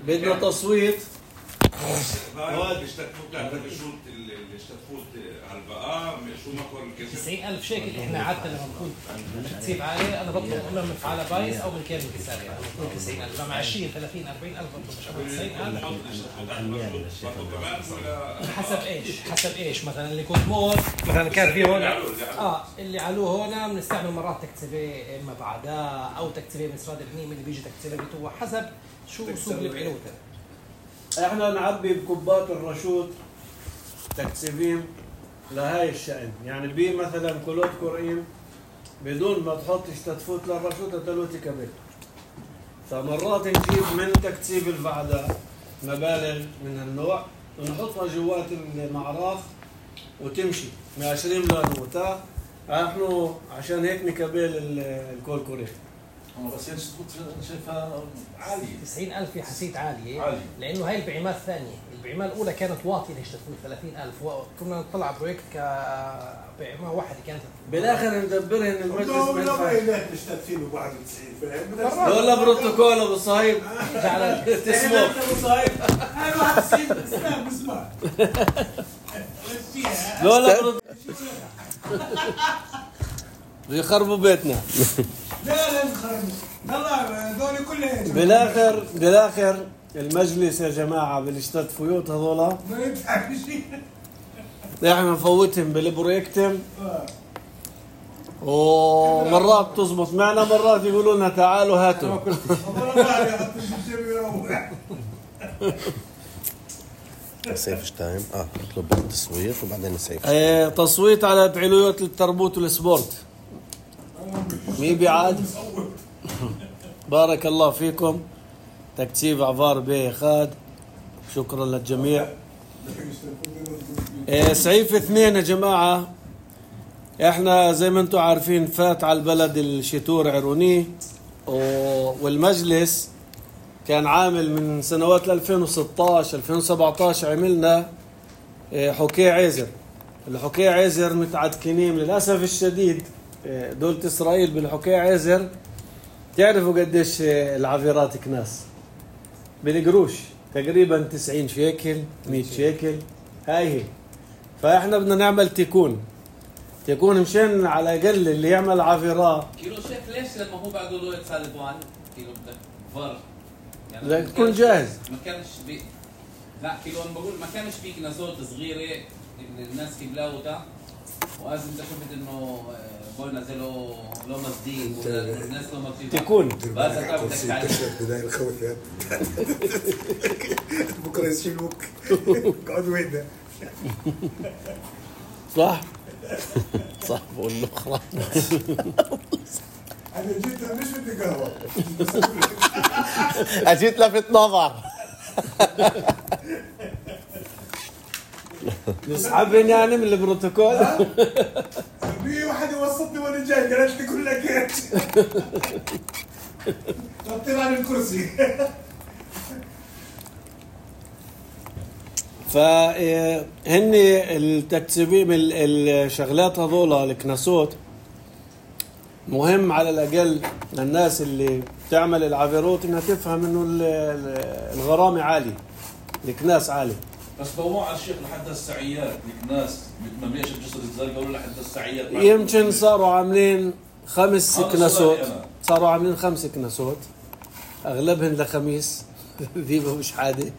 بدنا تصويت. هذا اشتكفوت بتاعت الشروط اللي اشتكفوت على البقاء شو مقر الكسر تسعين ألف شيكل. احنا عادة لما بكون تكسيب عالي انا بطلب اما من فعالة بايس او من كامل كساري. انا بكون تسعين ألف مع عشرين ثلاثين أربعين ألف بطلب تسعين ألف. حسب ايش حسب ايش مثلا اللي كنت موت مثلا كان في هون اه اللي علوه هون بنستعمل مرات تكتيفيه اما بعدها او تكتيفيه من سراد الغنيم اللي بيجي تكتيفيه بتوع حسب شو سوق اللي بعينوته. احنا نعبي بكوبات الرشوت تكتيفين لهاي الشأن. يعني بي مثلا كلوت كوريم بدون ما تحط اشتتفوت للرشوت تلوتي كبير. فمرات نجيب من تكتيب الفعداء مبالغ من النوع ونحطها جوات المعراف وتمشي من عشرين لنوتا. نحن عشان هيك نكبل الكول كوري. بس هي شايفها عالية. تسعين ألف حسيت عالية عالية لأنه هاي البيعمات الثانية. البيعمة الأولى كانت واطية ليشتغلوا ثلاثين ألف وكنا نطلع بروجكت كبيعمة واحدة كانت بالآخر ندبرهن المجلس لا ما يلاقي تشتغلين واحد وتسعين فاهم. ولا بروتوكول أبو صهيب جعل تسمو أبو صهيب أنا واحد وتسعين اسمع بسمع ولا بروتوكول يخربوا بيتنا. لا لا نخربوا والله هذول كلهم. بالاخر بالاخر المجلس يا جماعه بالاشتتفوت هذولا ما يدفع شيء. احنا نفوتهم بالبروجكتم ومرات تزبط معنا مرات يقولوا لنا تعالوا هاتوا. سيف تايم اه نطلب التصويت وبعدين نسيف. اه تصويت على فعاليات التربوت والسبورت. مين بيعاد؟ بارك الله فيكم. تكتيب عفار بيه خاد. شكرا للجميع. اه سعيف اثنين يا جماعة. احنا زي ما انتم عارفين فات على البلد الشتور عروني، والمجلس كان عامل من سنوات ألفين وستة عشر ألفين وسبعة عشر عملنا حكي عزر. الحكي عزر متعدكنين للأسف الشديد. دولة إسرائيل بالحكي عزر تعرفوا قديش العفيرات كناس بالقروش، تقريبا تسعين شيكل مية شيكل. هاي هي. فإحنا بدنا نعمل تيكون تيكون مشان على الأقل اللي يعمل عفيرات. كيلو شيك ليش لما هو بعده له يتسالبوان كيلو بدك فر يعني بدك تكون جاهز. ما كانش بي لا كيلو انا بقول ما كانش في كناسات صغيره الناس كبلاوتا، وازم انت شفت انه بقول نزلوا لو مصدين والناس لو ما تكون بس انت بدك تعرف بداية الخوف يا بكره يشيلوك اقعد وين ده صح صح بقول له خلاص. انا جيت مش بدي قهوه اجيت لفت نظر. نسحبين يعني من البروتوكول. في واحد يوسطني وانا جاي قالت لي كلها كيت طلع عن الكرسي. فهن التكتيبين الشغلات هذول الكناسوت مهم على الأقل للناس اللي تعمل العفيروت انها تفهم انه الغرامة عالية، الكناس عالي. بس ضوء على الشيخ لحد السعيات الناس ممليش الجسر الزرقاء ولا لحد السعيات يمكن صاروا عاملين خمس كناسوت، صاروا عاملين خمس كناسوت اغلبهن لخميس. ذيبه مش عادي.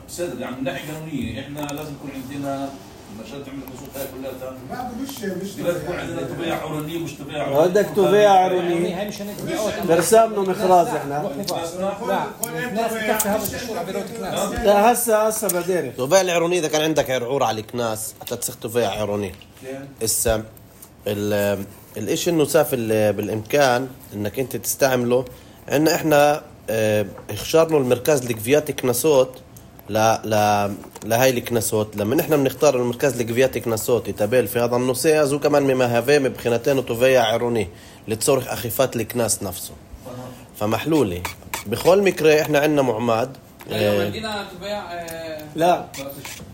سيد يعني من ناحيه قانونيه احنا لازم يكون عندنا عشان تعمل الخصوص هاي كلها بعد مش مش لازم يكون عندنا تبيع عرونيه ومش تبيع عرونيه. بدك تبيع عرونيه هاي مش هندفع برسامنا مخراج احنا. لا الناس بتكفي هذا الشهور عبيروت كناس. لا هسه هسه بديري تبيع العروني اذا كان عندك عرعور على الكناس حتى تصير تبيع عروني. هسه الاشي انه ساف بالامكان انك انت تستعمله. عندنا احنا اه اخترنا المركز لقفيات كناسوت لا لا لهاي الكناسوت. لما نحن بنختار المركز لقفيات كناسوت يتابل في هذا النص ازو كمان ممهفه مبخنتين وتوفيع عروني لتصرخ اخفات الكناس نفسه. فمحلولي بكل مكره احنا عندنا معماد. يعني عندنا تبيع لا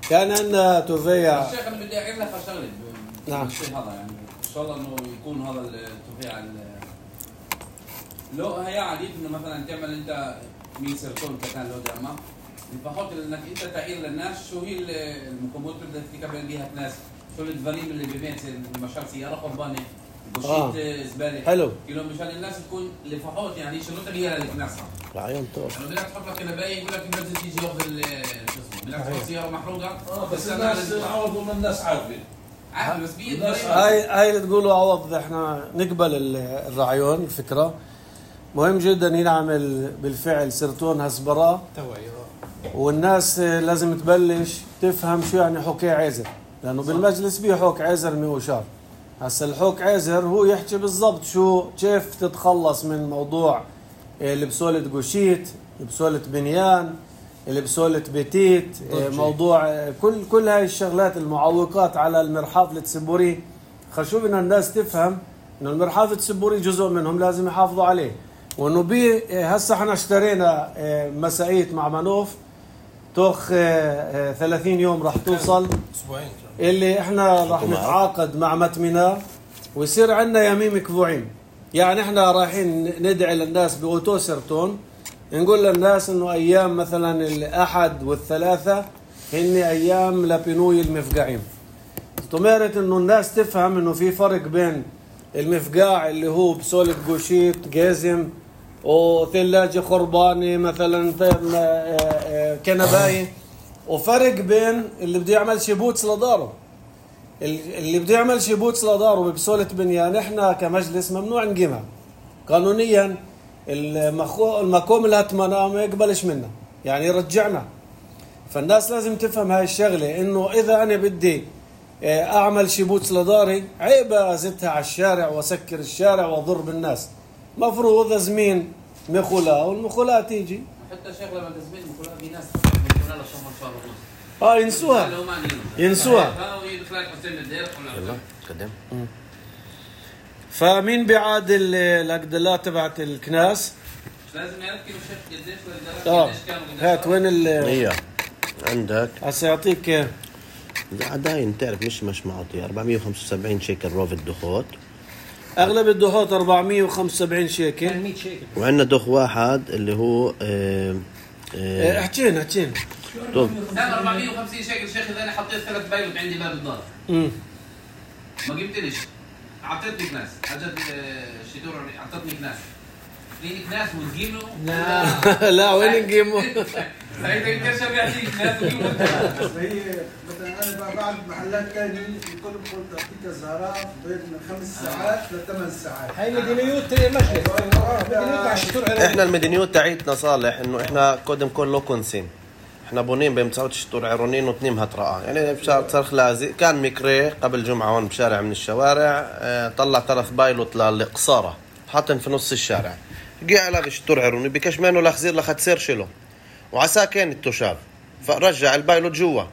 كان عندنا تبيع. الشيخ انا بدي اعيد لك شغله. نعم هذا يعني ان شاء الله انه يكون هذا التبيع لو هي عادي انه مثلا تعمل انت مية سيرتون كان لو دعمه بحط انك انت تعير للناس شو هي المكونات اللي بدك تكمل بيها الناس، شو الفريم اللي ببيت مشان سياره قربانه بشيت آه. زباله حلو كيلو مشان الناس تكون لفحوط يعني شنو هي للناس. العيون طول يعني بدك تحط لك كنبايه يقول لك الناس تيجي ياخذ شو اسمه بدك تحط سياره محروقه. اه بس الناس عوضوا من الناس عارفه عارف بس بيد هاي هاي اللي تقولوا عوض احنا نقبل الرعيون الفكره. مهم جدا ينعمل بالفعل سيرتون هسبراه والناس لازم تبلش تفهم شو يعني حكي عزر، لانه بالمجلس بيه حك عزر ميوشار. هسا الحك عزر هو يحكي بالضبط شو كيف تتخلص من موضوع اللي بسولة قشيت، اللي بسولة بنيان، اللي بسولة بيتيت، موضوع كل كل هاي الشغلات المعوقات على المرحاض التسبوري. خشوف ان الناس تفهم انه المرحاض التسبوري جزء منهم لازم يحافظوا عليه، وانه بي هسه احنا اشترينا مسائيت مع منوف توخ ثلاثين يوم راح توصل اسبوعين اللي احنا راح نتعاقد مع متمنا ويصير عندنا يميم كفوعين. يعني احنا رايحين ندعي للناس باوتو سيرتون نقول للناس انه ايام مثلا الاحد والثلاثة هن ايام لبنوي المفقعين. تمارت انه الناس تفهم انه في فرق بين المفقاع اللي هو بسولة قوشيت جازم وثلاجة خرباني مثلا كنباية، وفرق بين اللي بده يعمل شبوتس لداره. اللي بده يعمل شبوتس لداره بسولة بنيان احنا كمجلس ممنوع نقيمها قانونيا. المكوم الهتمنة ما يقبلش منا يعني يرجعنا. فالناس لازم تفهم هاي الشغلة، إنه إذا أنا بدي أعمل شيبوتس لداري عيب أزتها على الشارع وأسكر الشارع وأضر الناس. مفروض أزمين مخولا والمخولا تيجي. حتى شغلة ما تزمين مخولا في ناس مخولا لشمال شهر ونص. آه ينسوها. ينسوها. يلا قدم. فمين بيعاد الأقدلات تبعت الكناس؟ لازم يعرف كيلو شيخ قديش اه قديش كانوا هات وين ال هي عندك هسه يعطيك عداين تعرف مش مش معطي أربعمية وخمسة وسبعين شيكل روف الدخوت. اغلب الدخوت أربعمية وخمسة وسبعين شيكل مية شيكل. وعندنا دخ واحد اللي هو اه اه احكينا احكينا طب كان أربعمية وخمسين شيكل شيخ. اذا انا حطيت ثلاث بايلوت عندي باب الدار امم ما جبتليش، اعطيتني كناس حاجات الشيتور اعطتني كناس اثنين كناس وتجيبوا. لا لا وين نقيمه؟ ساعتها يمكن شرقة تيجي كناس وتجيبوا. بس هي مثلا انا بقى بعد محلات ثانيه يكون بقول تعطيك الزهراء بين خمس ساعات لثمان ساعات. هاي مدينيوت مجلس. مدينيوت على الشطور. احنا المدنيوت تاعيتنا صالح انه احنا قدم كل لو كونسين. احنا بونين بمساوت الشطور عيرونين وتنيم هترقى يعني بشارع صرخ لازق. كان ميكري قبل جمعة هون بشارع من الشوارع اه طلع ثلاث بايلوت للقصارة حاطن في نص الشارع. جي على الشطور عيروني بكش منه لخزير لخد شلو وعسى كان التشاب فرجع البايلوت جوا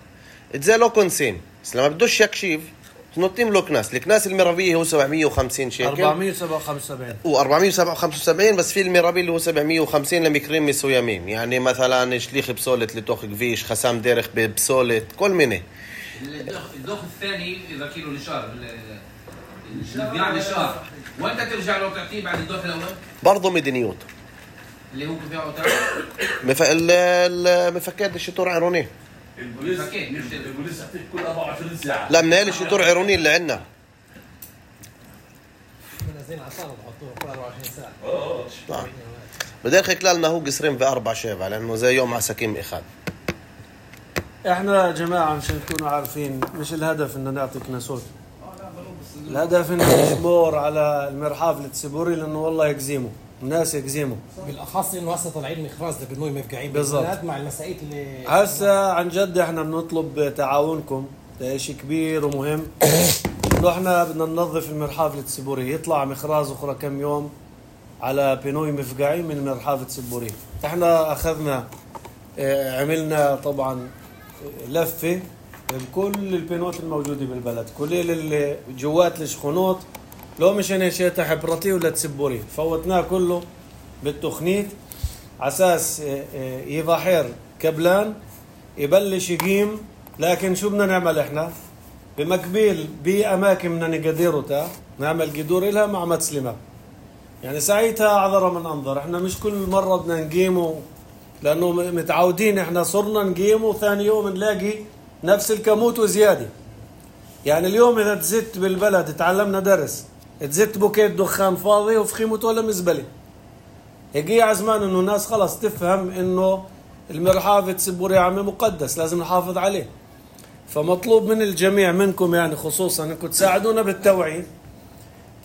اتزي لو كونسين. بس لما بدوش يكشيف تنطيم له كناس. الكناس المرابية هو سبعمية وخمسين شيكل أربعمية وسبعة وخمسين وسبعين و475 بس في المرابي اللي هو سبعمية وخمسين لميكريم مسويمين يعني مثلا شليخ بسولة لتوخ كفيش خسام ديرخ بسولة كل منه. الدوخ الثاني اذا كيلو نشار البيع نشار وانت ترجع له تعطيه بعد الدوخ الاول برضه مدنيوت اللي هو كيف يعطي مف... المفكات الشطور عيروني. البوليس البوليس يعطيك كل أربعة وعشرين ساعة. لا منال الشطور عيروني اللي عندنا منزلين عصارة بحطوها كل أربعة وعشرين ساعة. اه اه بداخل كلالنا هو قصرين في أربع شيفة لأنه زي يوم عساكيم إخاد. احنا يا جماعه مشان تكونوا عارفين مش الهدف ان نعطي كناسوت. الهدف ان نشبور على المرحاف التسبوري لانه والله يجزيموا الناس يجزيموا بالأخص إنه هسه طالعين مخراز لبنوي مفقعين بالضبط. بالبلاد مع المسائيات اللي هسه عن جد احنا بنطلب تعاونكم. ده شيء كبير ومهم. انه احنا بدنا ننظف المرحاف التسبوري يطلع مخراز اخرى كم يوم على بنوي مفقعين من المرحاف التسبوري. احنا اخذنا اه عملنا طبعا لفه بكل البينوت الموجوده بالبلد كل اللي جوات الشخونات لو مشان شيء حبرتي ولا تسبوري فوتناه كله بالتخنيت عساس يظهر كبلان يبلش يقيم. لكن شو بدنا نعمل احنا بمقبيل باماكن بدنا نقدرها نعمل قدور لها مع مسلمه يعني ساعتها عذرا من انظر. احنا مش كل مره بدنا نقيمه لانه متعودين احنا صرنا نقيمه ثاني يوم نلاقي نفس الكموت وزياده. يعني اليوم اذا تزت بالبلد تعلمنا درس تزت بوكيت دخان فاضي وفي خيمته ولا مزبله. يجي عزمان انه الناس خلاص تفهم انه المرحاف تسبوري عمي مقدس لازم نحافظ عليه. فمطلوب من الجميع منكم يعني خصوصا انكم تساعدونا بالتوعيه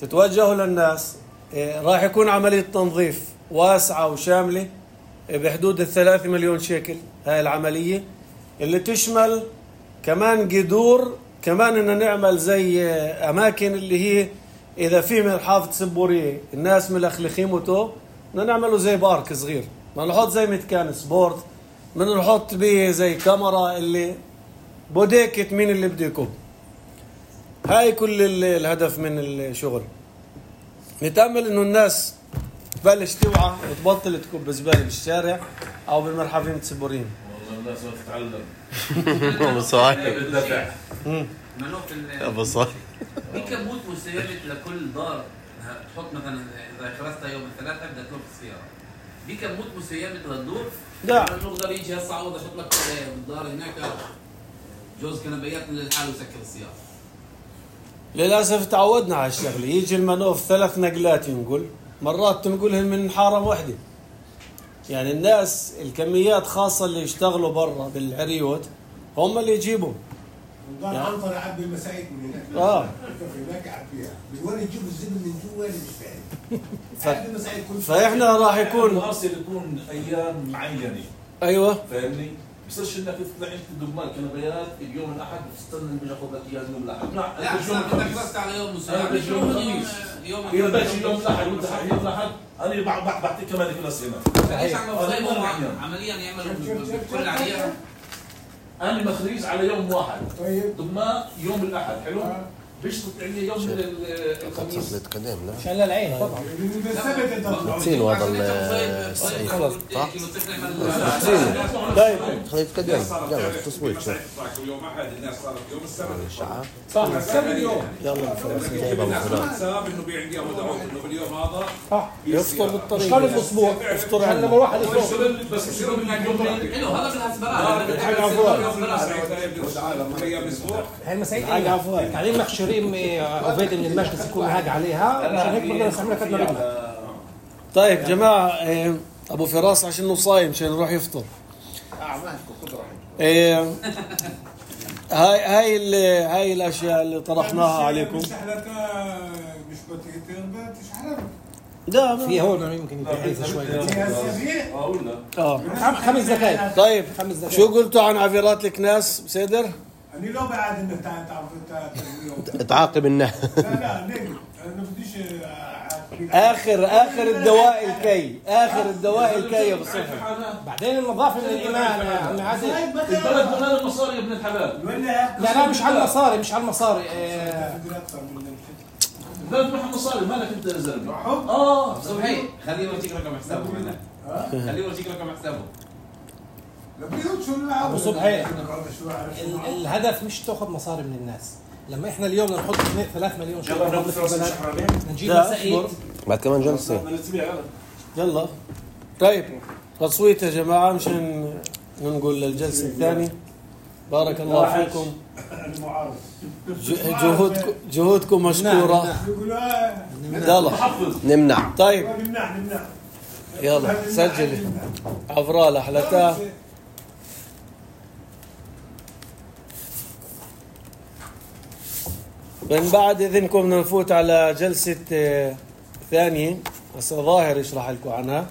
تتوجهوا للناس. راح يكون عمليه تنظيف واسعه وشامله بحدود الثلاثة مليون شيكل هاي العمليه اللي تشمل كمان قدور كمان ان نعمل زي اماكن اللي هي اذا في مرحاف تسبوري الناس ملخلخيمته بدنا نعمله زي بارك صغير ما نحط زي متكان سبورت بدنا نحط به زي كاميرا اللي بوديكت مين اللي بده يكب. هاي كل الهدف من الشغل. نتأمل انه الناس تبلش توعى وتبطل تكب زباله بالشارع او بالمرحافين التسبوريين. والله الناس ما تتعلم. أبو صاحب بالدفع. منوف أبو صاحب بكموت مسيرة لكل دار تحط مثلا اذا خلصتها يوم الثلاثاء بدك تلف السياره بكموت مسيرة للدور. لا نقدر يجي هسه عوض احط لك بالدار هناك جوز كنبيات للحال وسكر السياره. للاسف تعودنا على الشغله يجي المنوف ثلاث نقلات ينقل مرات تنقلهم من حاره واحده. يعني الناس الكميات خاصه اللي يشتغلوا برا بالعريوت هم اللي يجيبوا. ضل عنطر يعبي المسائل من هناك. اه هناك يعبيها. من وين يجيبوا الزبن من جوا اللي مش فاهم. ف... فاحنا راح يكون الحاصل يكون ايام معينه. ايوه فاهمني؟ بصيرش انك تطلع انت دمار كنبيات اليوم الاحد وتستنى اللي بيجي ياخذ لك اياه اليوم الاحد. لا لا انت اليوم بدك الخميس. بس على يوم انا مساعد بدي يوم الخميس. يوم اذا بدك اليوم الاحد وانت حق يوم الاحد انا بعد بعد بعطيك كمان كلاس هنا. ليش عم بصيبوا عمليا يعملوا بكل عليها؟ انا مخريج على يوم واحد. طيب دماء يوم الاحد حلو؟ بيشتغل عندي يوم الخميس. خلص نتقدم لا عشان للعين طبعا بالسبت انت تطلع. نسين وهذا السعيد خلص طيب خليه يتقدم يلا التصويت شوف يوم احد الناس صارت يوم السبت الشعب صح السبت اليوم يلا فراس جايبها من فراس حساب انه بيعندي مدعوة انه باليوم هذا صح يفطر مش بالطريق كل الاسبوع يفطر عشان عندنا لما واحد يفوق بيشتغل بس بيصيروا من اليوم حلو هذا بالهسبرات هاي المسائل قاعدين محشورين عبيد من المجلس يكون هاج عليها عشان هيك بنقدر نستعملها قد ما بدنا. طيب جماعة إيه، أبو فراس عشان صايم عشان يروح يفطر. إيه، هاي هاي ال- هاي الأشياء اللي طرحناها عليكم. مش حلقة مش بتقدر تشحن. لا ما- في هون يمكن يتحيز شوي اقول لك اه خمس دقائق طيب خمس دقائق. شو قلتوا عن عبيرات الكناس بسيدر؟ أنا لو بعد إنك تعال تعرف تعاقب الناس لا لا نجم أنا بديش أعاقبك. آخر آخر الدواء الكي آخر الدواء الكي يا أبو صفر. بعدين النظافه من الايمان يا عم عادل. البلد مليان المصاري يا ابن الحلال. ولا لا لا مش على المصاري مش على المصاري آه، البلد معها مصاري مالك انت يا زلمه. حب اه صبحي خليه يورجيك رقم حسابه هنا خليه يورجيك رقم حسابه لبيوت شو أبو صبحي. شو عارف ال- الهدف مش تاخذ مصاري من الناس. لما احنا اليوم بدنا نحط ثلاث مليون شهر في البلد نجيب لا، مسائل اصبر. بعد كمان جلسة يلا طيب تصويت يا جماعة مشان ننقل للجلسة الثانية. بارك الله فيكم. المعارض ج- جهودكم جهودكم مشكورة. يقولوا يلا نمنع طيب نمنع نمنع يلا سجلي عفرالة حلتها. من بعد إذنكم بدنا نفوت على جلسة آه، ثانية. هسه ظاهر يشرح لكم عنها.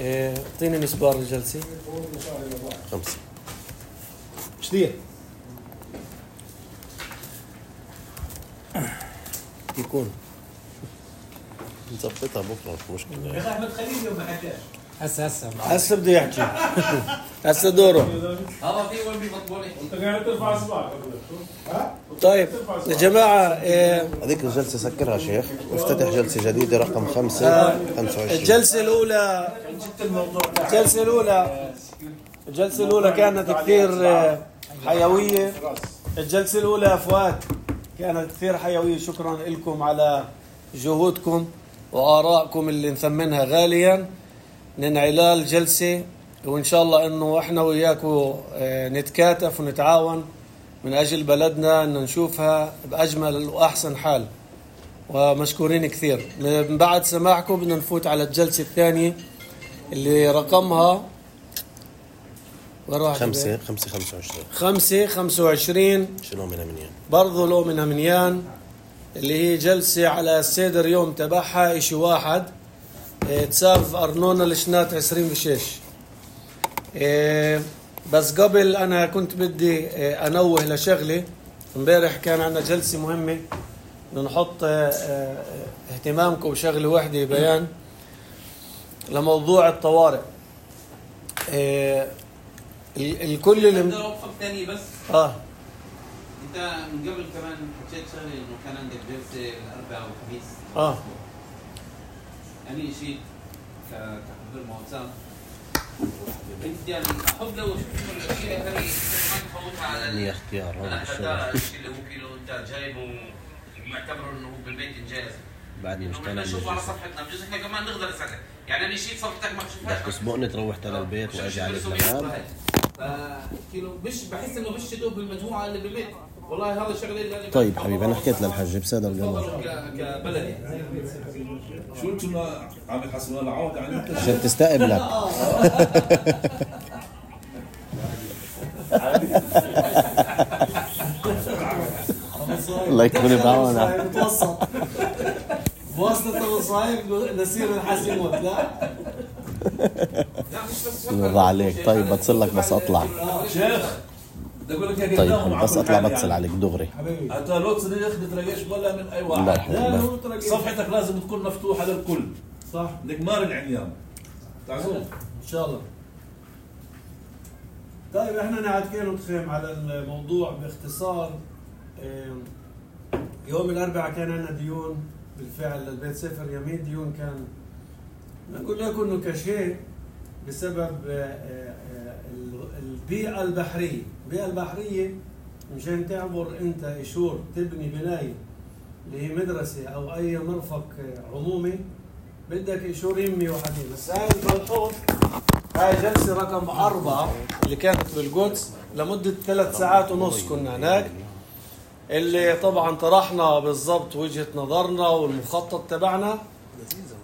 آه، اعطيني مسبار الجلسة. خمسة كثير يكون نظبطها بكرة مش مشكلة احمد خليل يوم ما حكاش هسه هسه هسه بده يحكي. هسه دوره. هذا في وين بيفضلوا انت قاعد ترفع اصبعك. طيب يا جماعة آه، هذيك الجلسة سكرها شيخ وافتتح جلسة جديدة رقم خمسة خمسة وعشرين الجلسة الأولى الجلسة الأولى الجلسة الأولى كانت كثير آه، حيوية. الجلسة الأولى فؤاد كانت كثير حيوية. شكرا لكم على جهودكم وآرائكم اللي نثمنها غاليا. ننعلال جلسة وإن شاء الله إنه إحنا وياكم آه، نتكاتف ونتعاون من أجل بلدنا إن نشوفها بأجمل وأحسن حال. ومشكورين كثير. من بعد سماعكم بدنا نفوت على الجلسة الثانية اللي رقمها وراح خمسة خمسة خمسة وعشرين خمسة خمسة وعشرين شنو منها منين برضو لو منها منيان اللي هي جلسة على السيدر يوم تبعها إشي واحد. اه تساف أرنونا لشنات عسرين بشيش. اه بس قبل أنا كنت بدي اه أنوه لشغلة. امبارح كان عندنا جلسة مهمة بدنا نحط اه اه اهتمامكم بشغلة واحدة بيان لموضوع الطوارئ. اه ال- الكل اللي بدي اوقفك ثاني بس اه انت من قبل كمان حكيت شغله انه كان عندك جلسه الاربعاء والخميس اه انا شيء كحضور موسم انت يعني احب لو شفت الاشياء هذه ما تفوتها على مني اختيار هون على بالشغل هذا الشيء اللي هو كيلو انت جايبه ومعتبره انه هو بالبيت انجاز بعد مش انه طالع نشوفه على صفحتنا بجوز احنا كمان نقدر نساعدك يعني انا شيء صفحتك ما تشوفهاش بس اسبوعني تروحت على البيت واجي على الزمان كيلو مش بحس انه مش تدوب بالمجموعه اللي بالبيت والله هذا الشغله اللي لازم طيب حبيبي انا حكيت للحج بصدق تفضلوا ك- كبلد يعني شو انتم عم تحسبوا لنا عوده عن انت عشان تستقبلك الله يكون بعونك متوسط بواسطة الصايب نسير الحاسموت لا الله عليك. طيب بتصل لك بس اطلع. شيخ بدي اقول لك يا طيب قدام بس اطلع بتصل عليك دغري. حتى لو تصير تريش ولا من اي الله واحد. يحفظك. صفحتك لازم تكون مفتوحه للكل. صح بدك مار العميان. تعرفون؟ ان شاء الله. طيب احنا نعتكين نتخيم على الموضوع باختصار. يوم الاربعاء كان عندنا ديون بالفعل للبيت سفر يمين. ديون كان نقول لكم انه كشيء بسبب البيئة البحرية. البيئة البحرية مشان تعبر انت اشور تبني بناية اللي هي مدرسة او اي مرفق عمومي بدك اشور يمي وحدين. بس هاي الملحوظ هاي جلسة رقم أربعة اللي كانت بالقدس لمدة ثلاث ساعات ونص كنا هناك، اللي طبعا طرحنا بالضبط وجهة نظرنا والمخطط تبعنا،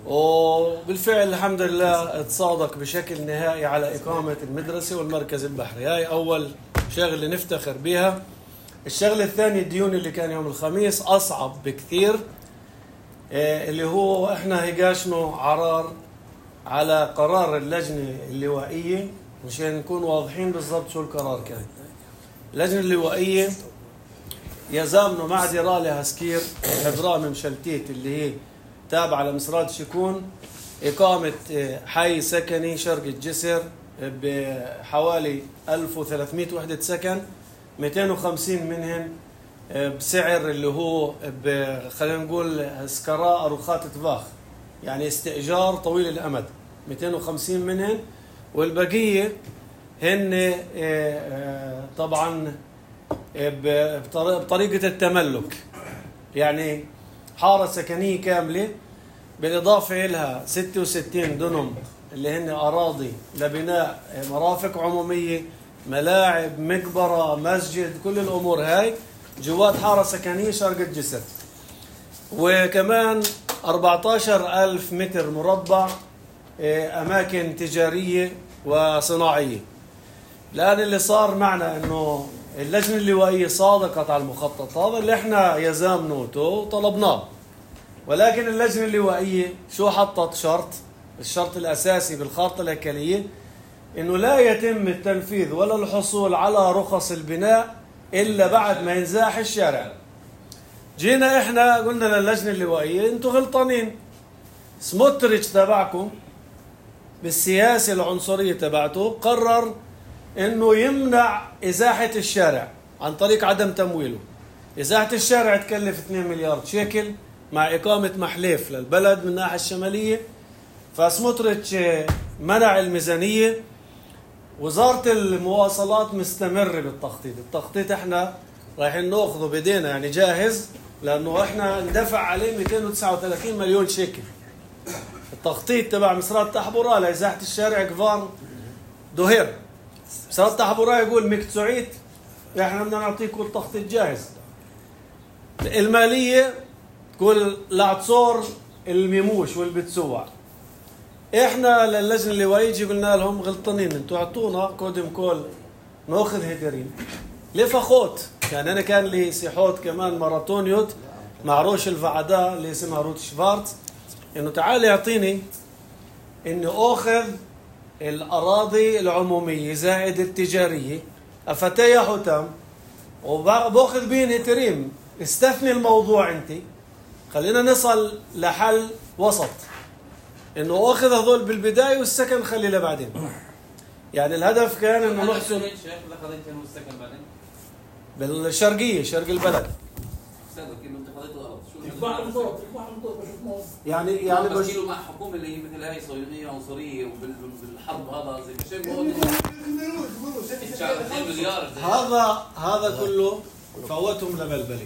وبالفعل الحمد لله اتصادق بشكل نهائي على إقامة المدرسة والمركز البحري. هاي أول شغلة نفتخر بها. الشغلة الثانية الديون اللي كان يوم الخميس أصعب بكثير، اللي هو احنا هيجاشنا عرار على قرار اللجنة اللوائية مشان نكون واضحين بالضبط شو القرار كان. اللجنة اللوائية يزامنوا مع ديرالي هاسكير حضرة ممشلتيت اللي هي تابعة لمسرات شكون إقامة حي سكني شرق الجسر بحوالي ألف وثلاثمئة وحدة سكن، مئتين وخمسين منهن بسعر اللي هو خلينا نقول سكراء أروخات تفاخ، يعني استئجار طويل الأمد، مئتين وخمسين منهن، والبقية هن طبعا بطريقة التملك، يعني حارة سكنية كاملة بالإضافة إلها ستة وستين دنم اللي هن أراضي لبناء مرافق عمومية، ملاعب، مقبرة، مسجد، كل الأمور هاي جوات حارة سكنية شرق الجسر. وكمان أربعة عشر ألف متر مربع أماكن تجارية وصناعية. الآن اللي صار معنا أنه اللجنة اللوائية صادقت على المخطط هذا اللي احنا يزامنوته وطلبناه، ولكن اللجنة اللوائية شو حطت شرط؟ الشرط الأساسي بالخارطة الهيكلية أنه لا يتم التنفيذ ولا الحصول على رخص البناء إلا بعد ما ينزاح الشارع. جينا إحنا قلنا للجنة اللوائية أنتوا غلطانين، سموتريتش تبعكم بالسياسة العنصرية تبعته قرر أنه يمنع إزاحة الشارع عن طريق عدم تمويله. إزاحة الشارع تكلف اثنين مليار شيكل مع إقامة محليف للبلد من الناحية الشمالية، فسموتريتش منع الميزانية. وزارة المواصلات مستمرة بالتخطيط. التخطيط احنا رايحين ناخذه بدينا يعني جاهز، لأنه احنا ندفع عليه مئتين وتسعة وثلاثين مليون شيكل. التخطيط تبع مسرات تحبورا لإزاحة الشارع كفار دوهير، مسرات تحبورا يقول مكتسوعيت احنا بدنا نعطيكم التخطيط جاهز. المالية تقول لعتصور الميموش والبتسوع. احنا للجنة اللوائية قلنا لهم غلطانين، انتوا اعطونا كودم كول ناخذ هيدرين لفخوت. يعني انا كان لي سيحوت كمان ماراثونيوت مع روش الفعداء اللي اسمها روت شفارتز، انه تعال يعطيني انه اخذ الاراضي العمومية زائد التجارية افتيا حتام وباخذ بين هيتريم. استثني الموضوع انت، خلينا نصل لحل وسط انه اخذ هذول بالبدايه والسكن خلي له بعدين. يعني الهدف كان انه نحسن بالشرقيه شرق البلد. يعني يعني بس مع حكومه اللي هي مثل هاي صهيونيه عنصريه وبالحرب هذا زي مليار هذا هذا كله فوتهم لبلبلي.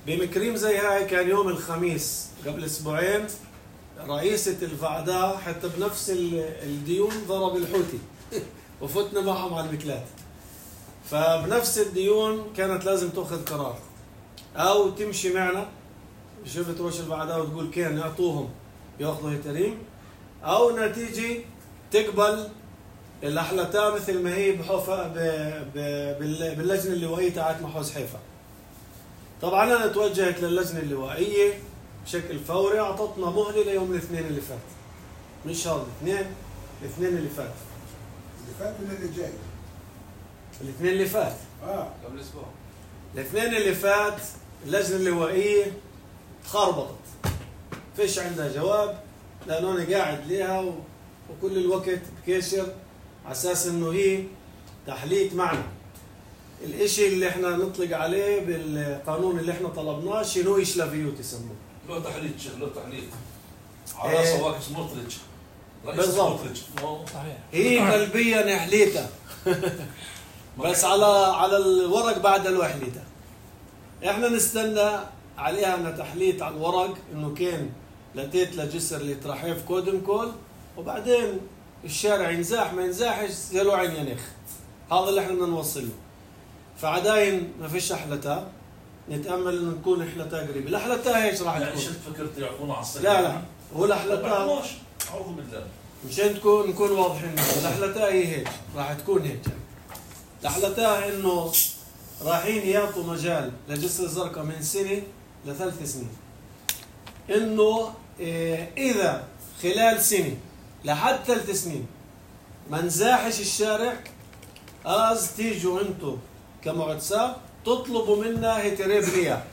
بمكريم زي هاي كان يوم الخميس قبل اسبوعين رئيسة الفعداء حتى بنفس الديون ضرب الحوثي وفتنا معهم على المكلات. فبنفس الديون كانت لازم تأخذ قرار، أو تمشي معنا شفت روش الفعداء وتقول كان يعطوهم يأخذوا هيتريم، أو نتيجة تقبل الأحلتها مثل ما هي بحوفة باللجنة اللوائية تاعت محوز حيفا. طبعا أنا توجهت للجنة اللوائية بشكل فوري، أعطتنا مهلة ليوم الاثنين اللي فات، مش هذا الاثنين الاثنين اللي فات اللي فات ولا اللي جاي؟ الاثنين اللي فات اه قبل اسبوع. الاثنين اللي فات اللجنة اللوائية تخربطت، فيش عندها جواب لأنه أنا قاعد ليها و... وكل الوقت بكشر على أساس إنه هي تحليت معنا. الإشي اللي إحنا نطلق عليه بالقانون اللي إحنا طلبناه شنو يشلفيوت يسموه. له تحليل شيخ، له تحليل إيه. على راسه واقف سموتريتش، رئيس بالضبط. سموتريتش. صحيح. هي قلبيا حليتها بس على على الورق بعد لو حليتها. احنا نستنى عليها انها تحليت على الورق انه كان لتيت لجسر اللي ترحيف كودم كول، وبعدين الشارع ينزاح ما ينزاحش زلو عين ينخ. هذا اللي احنا بدنا نوصله. فعداين ما فيش احلتها، نتامل انه نكون احلتها قريبه. الاحلتها هيك راح يعني تكون. شفت فكرت يعطونا على الصيف؟ لا لا هو الاحلتها اعوذ بالله. مشان تكون نكون واضحين. الاحلتها هي هيك راح تكون هيك. الاحلتها انه رايحين يعطوا مجال لجسر الزرقاء من سنه لثلاث سنين، انه إيه اذا خلال سنه لحد ثلاث سنين ما نزاحش الشارع، از تيجوا انتم كمعتساب تطلبوا منا هيتري بنية،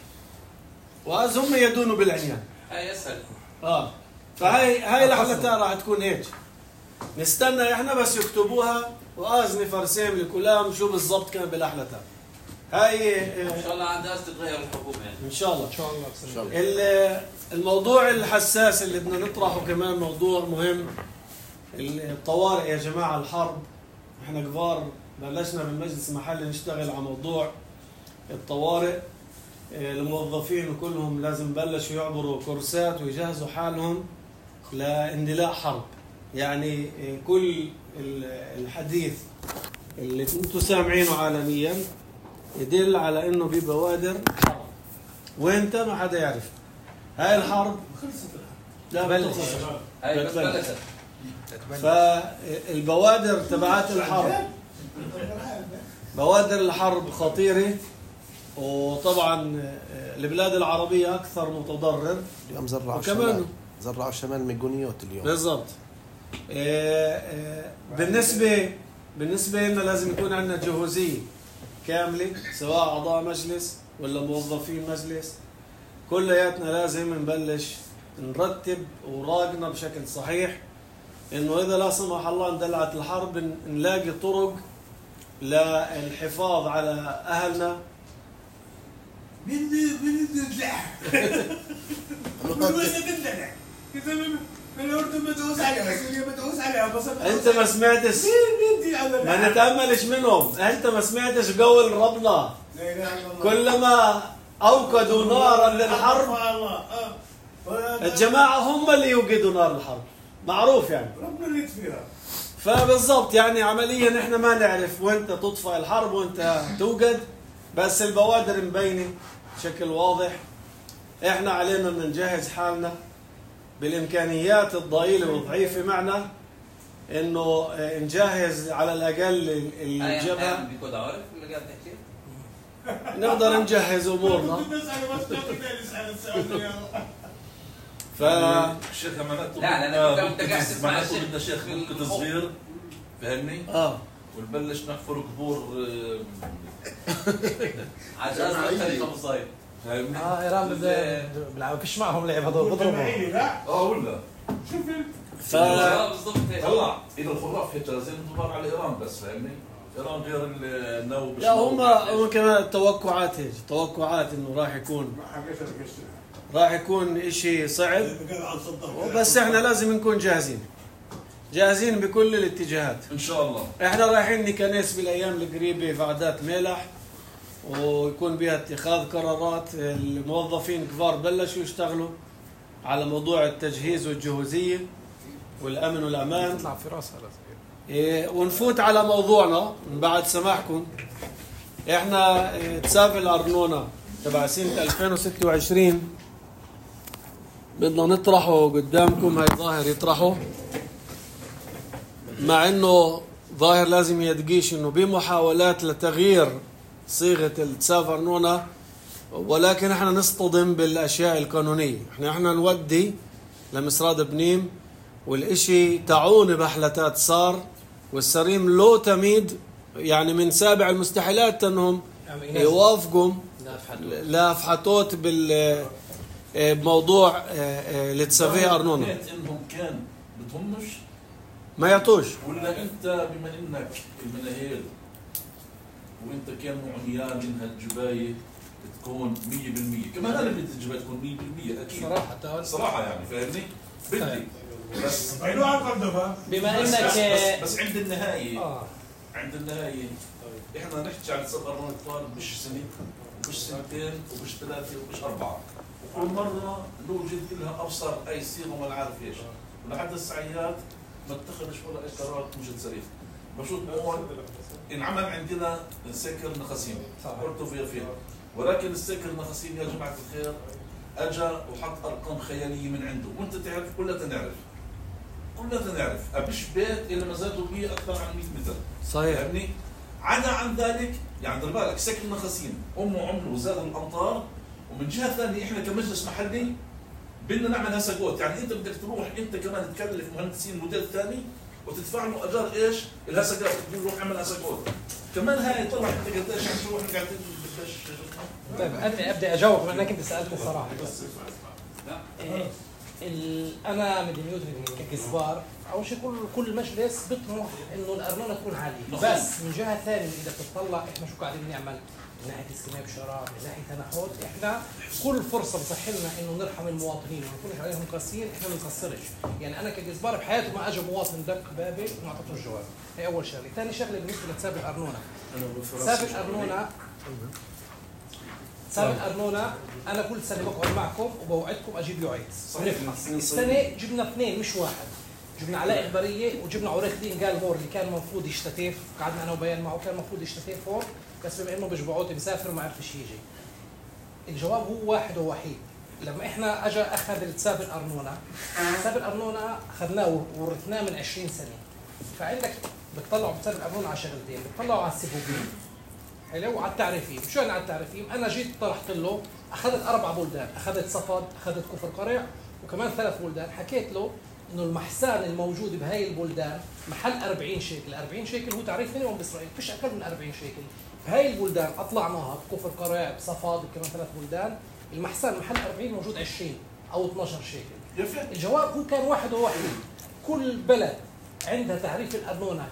واز هم يدونوا بالعنيان. هاي اسهل. اه فهي هاي الاحلتها راح تكون هيك. نستنى احنا بس يكتبوها واز نفرسم لكلام شو بالضبط كان بالاحلتها. هاي ان شاء الله عندها تتغير الحكومه يعني. ان شاء الله. ان شاء الله. إن شاء الله. ال- الموضوع الحساس اللي بدنا نطرحه كمان موضوع مهم. الطوارئ يا جماعة، الحرب. احنا كبار بلشنا بالمجلس المحلي نشتغل على موضوع الطوارئ. اه، الموظفين وكلهم لازم بلشوا يعبروا كورسات ويجهزوا حالهم لاندلاع حرب. يعني اه، كل ال- الحديث اللي انتم سامعينه عالميا يدل على انه في بوادر حرب. وانت ما حدا يعرف هاي الحرب. لا بلش. هاي بس بتبلش. بلشت. فالبوادر تبعات الحرب، بوادر الحرب خطيرة. وطبعا البلاد العربية أكثر متضرر. اليوم زرعوا وكمان الشمال زرعوا الشمال ميجونيوت اليوم. بالضبط. آه، آه، بالنسبة بالنسبة لنا لازم يكون عندنا جهوزية كاملة، سواء أعضاء مجلس ولا موظفين مجلس. كلياتنا لازم نبلش نرتب أوراقنا بشكل صحيح، إنه إذا لا سمح الله اندلعت الحرب ن- نلاقي طرق للحفاظ على أهلنا. بدي بدي ندلع بدي ندلع كذا من من الأردن بتعوز عليها، سوريا بتعوز عليها، بس أنت ما سمعتش، بدي أعمل ما نتأملش منهم. أنت ما سمعتش قول ربنا لا إله إلا الله. كلما أوقدوا نارا للحرب الله آه. الجماعة هم اللي يوقدوا نار الحرب، معروف يعني. ربنا اللي يطفيها. فبالضبط يعني عمليا احنا ما نعرف وين تطفئ الحرب وانت توقد، بس البوادر مبينة بشكل واضح. احنا علينا ان نجهز حالنا بالامكانيات الضئيلة والضعيفة معنا، انه اه، نجهز على الاقل ال- الجبهة، بيكون عارف اللي قاعد تحكي. نقدر نجهز امورنا. كنت بسأل بس ما كنت أسأل السؤال يا الله. ف الشيخ معناته لا، لا، لا، أنت ممكن قاعد تس- تسمع معناته الشيخ بدنا شيخ في ممكن الخوف. صغير، فاهمني؟ اه ونبلش نحفر قبور آه، عجاز مختلفه بالصيف. فاهمني؟ اه ايران بد- بيلعبوا فيش معهم لعب هذول بضربوا. جماعية لا اه ولا شوف ف آه، بالضبط هيك. طلع اذا الخراف هيك لازم ندور على ايران بس، فاهمني؟ ايران غير النو. لا هم هم كمان التوقعات هيك، توقعات انه راح يكون ما حكيش أنا قشتها. راح يكون اشي صعب، بقى عن صدق. بس احنا لازم نكون جاهزين جاهزين بكل الاتجاهات. ان شاء الله. احنا رايحين نكنس بالايام القريبه فعدات ملح، ويكون بها اتخاذ قرارات. الموظفين كبار بلشوا يشتغلوا على موضوع التجهيز والجهوزيه والامن والامان. تطلع في راسها لازم. إيه، ونفوت على موضوعنا من بعد سماحكم. احنا إيه، تسافل الارنونه تبع سنه ألفين وستة وعشرين بدنا نطرحه قدامكم. هاي ظاهر يطرحه، مع انه ظاهر لازم يدقيش انه بمحاولات لتغيير صيغه التساف ارنونه، ولكن احنا نصطدم بالاشياء القانونيه. احنا احنا نودي لمسراد بنيم والإشي تعون بحلتات صار، والسريم لو تميد يعني من سابع المستحيلات أنهم يوافقوا لافحتوت بال بموضوع اللي تسافيه أرنونة. إنهم كان بدهمش ما يعطوش، ولا أنت بما إنك المناهيل وأنت كان معميان إنها الجباية تكون مية بالمية، كمان أنا بدي الجباية تكون مية بالمية أكيد صراحة صراحة يعني فاهمني؟ بدي بس بما إنك بس, بس عند النهاية آه. عند النهاية إحنا نحكي عن سفر الأطفال مش سنة ومش سنتين ومش ثلاثة ومش أربعة، وكل مرة نوجد لها أبصر أي صيغة وما نعرف إيش، ولحد الساعات ما اتخذش ولا أي قرار مش صريح. بشوف هون انعمل عندنا سكر نخاسيم قلتوا فيها فيها، ولكن السكر نخاسيم يا جماعة الخير أجا وحط أرقام خيالية من عنده، وأنت تعرف كلنا نعرف كلنا نعرف أبيش بيت إلا مزاده بيه أكثر عن مئة متر. صحيح. فاهمني؟ عدا عن ذلك يعني دير بالك سكر نخاسيم أمه عمله وزاد الأمطار، ومن جهة ثانية إحنا كمجلس محلي بدنا نعمل هسقوت، يعني أنت بدك تروح أنت كمان تكلف مهندسين موديل ثاني وتدفع له أجار إيش؟ الهسقات، تقول روح اعمل هسقوت. كمان هاي طلع أنت قديش عم تروح قاعدين بدش. طيب أنا أبدأ أجاوب لأنك أنت سألت صراحة. لا إيه ال... أنا مدنيوتي كجزبار أول شيء كل كل مجلس بيطمح إنه الأرنونة تكون عالية، بس من جهة ثانية إذا بتطلع إحنا شو قاعدين نعمل من ناحية استلمام بشارات، من ناحية تنحوت، إحنا كل فرصة بتصح لنا إنه نرحم المواطنين وما نكونش عليهم قاسيين، إحنا ما بنقصرش، يعني أنا كجزبار بحياته ما أجى مواطن دق بابي وما أعطيتوش جواب، هي أول شغلة، ثاني شغلة بالنسبة لحساب الأرنونة. حساب الأرنونة حساب الأرنونة أنا كل سنة بقعد معكم وبوعدكم أجيب يوعيتس. السنة جبنا اثنين مش واحد. جبنا علاء إخبارية وجبنا عريخ دين قال مور اللي كان المفروض يشتتف، قعدنا أنا وبيان معه كان المفروض يشتتف هون، بس بما إنه بجبعوتي مسافر ما عرفش يجي. الجواب هو واحد ووحيد، لما إحنا أجا أخذ الحساب الأرنونة، حساب الأرنونة أخذناه وورثناه من عشرين سنة. فعندك بتطلعوا بحساب الأرنونة على شغلتين، بتطلعوا على السبوبين حلو على التعريفيم. شو يعني على التعريفيم؟ أنا جيت طرحت له أخذت أربع بلدان، أخذت صفد، أخذت كفر قرع، وكمان ثلاث بلدان، حكيت له إنه المحسان الموجود بهاي البلدان محل أربعين شيكل، أربعين شيكل هو تعريف مينيموم بإسرائيل، فيش أقل من أربعين شيكل. بهاي البلدان أطلعناها بكفر قرع، بصفد، كمان ثلاث بلدان، المحسان محل أربعين موجود عشرين أو اثناشر شيكل. الجواب هو كان واحد وواحد، كل بلد عندها تعريف الأرنونة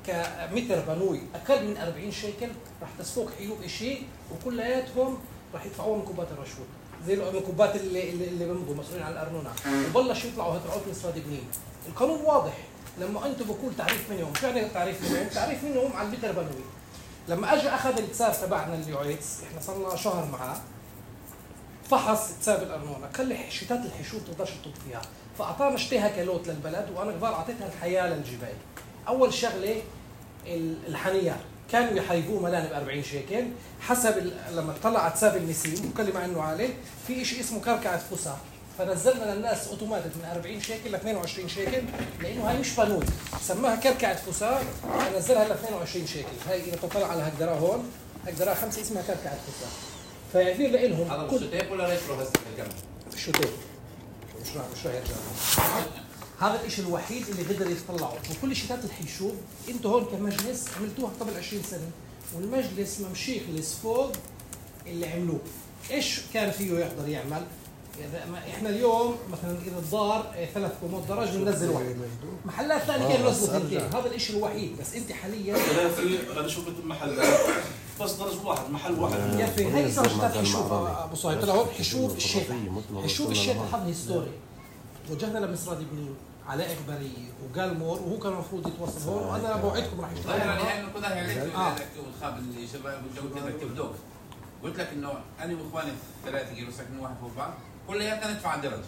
كمتر بنوي أقل من أربعين شيكل راح تسفوك حيوب شيء، وكلياتهم راح يدفعوها من كوبات الرشوة زي الكوبات اللي اللي بيمضوا مسؤولين عن الأرنونة، وبلش يطلعوا هترعوت مصراد بنين. القانون واضح، لما أنتم بقول تعريف منهم، شو يعني تعريف منهم؟ تعريف منهم على المتر بنوي. لما أجى أخذ الحساب تبعنا اليوعيتس، إحنا صرنا شهر معاه، فحص حساب الأرنونة، خلي شتات الحشود تقدرش تطب فيها، فأعطانا اشتيها كلوت للبلد، وأنا كبار أعطيتها الحياة للجبال. أول شغلة الحنيار كانوا يحيبوه ملان ب أربعين شيكل، حسب لما طلع على حساب النسيم وكل مع إنه عالي، في شيء اسمه كركعة فسا، فنزلنا للناس أوتوماتيك من أربعين شيكل ل اثنين وعشرين شيكل، لأنه هاي مش بنود، سماها كركعة فسا، فنزلها ل اثنين وعشرين شيكل. هاي إذا تطلع على هالقدرة هون، هالقدرة خمسة اسمها كركعة فسا. فيعتبر لهم هذا بالشتيب ولا ريترو هسه الكلام؟ بالشتيب. مش راح مش راح يرجع. هذا الشيء الوحيد اللي قدر يطلعه، وكل شتات الحشوب انتوا هون كمجلس عملتوها قبل عشرين سنة، والمجلس ممشي يخلص فوق اللي عملوه. ايش كان فيه يقدر يعمل؟ احنا اليوم مثلا اذا الدار ثلاث كومات درج بننزل واحد، محلات ثانيه كانوا ينزلوا اثنتين، هذا الشيء الوحيد. بس انت حاليا ثلاثة انا شفت المحلات بس درج واحد محل واحد. يا اخي هي صار شتات حشوف ابو صهيب، طلع هون حشوف الشيخ، حشوف الشيخ حظ هيستوري. وجهنا لمصراد بنين علاء إخبارية وقال مور، وهو كان المفروض يتوصل هون، وانا بوعدكم راح يشتغل. يعني هاي النقطة هي عليك وخاب الشباب والجو كذا تبدوك. قلت لك انه انا واخواني الثلاثة كيلو ساكنين واحد فوق بعض، كلياتنا ندفع درج.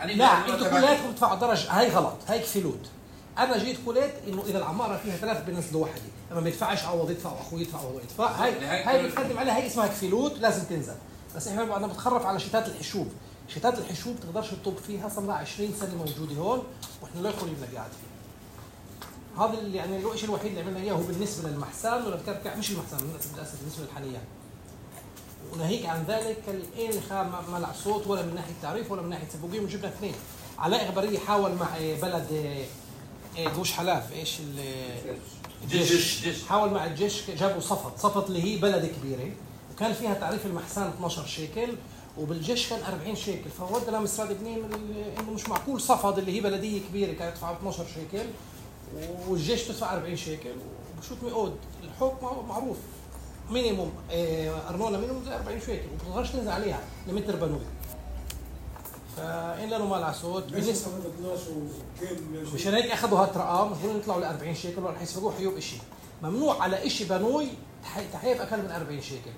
لا انتوا كلياتكم تدفعوا درج، هاي غلط، هاي كفلوت. انا جيت قلت انه اذا العمارة فيها ثلاث بنزلوا وحدة، اما ما يدفعش عوض يدفع واخوي يدفع عوض يدفع، هاي هاي بتقدم عليها، هي اسمها كفلوت لازم تنزل. بس احنا بعدنا بتخرف على شتات الحشوب. شتات الحشوب تقدرش تطب فيها، صار لها عشرين سنة موجودة هون واحنا لا يخلي لنا قاعد فيها. هذا اللي يعني الشيء الوحيد اللي عملنا اياه هو بالنسبة للمحسان وللكركع، مش المحسان للاسف بالنسبة للحنيان. وناهيك عن ذلك الإين خا ما لع صوت ولا من ناحية تعريف ولا من ناحية سبوقين، وجبنا اثنين. علاء غبرية حاول مع بلد جوش حلاف ايش الجيش، حاول مع الجيش جابوا صفط صفط اللي هي بلد كبيرة وكان فيها تعريف المحسان اثني عشر شيكل وبالجيش كان أربعين شيكل، فودنا مصر بنين انه مش معقول صفد اللي هي بلدية كبيرة كانت تدفع اثني عشر شيكل والجيش تدفع أربعين شيكل وبشوط مئود. الحكم معروف مينيموم ارنونا مينيموم زي أربعين شيكل وبتقدرش تنزل عليها لمتر بنوي. فإن له مال عسود بالنسبة مشان هيك اخذوا هالرقم المفروض يطلعوا ل أربعين شيكل ولا حيسبقوه حيوب شيء ممنوع على شيء بنوي تحيف اقل من أربعين شيكل.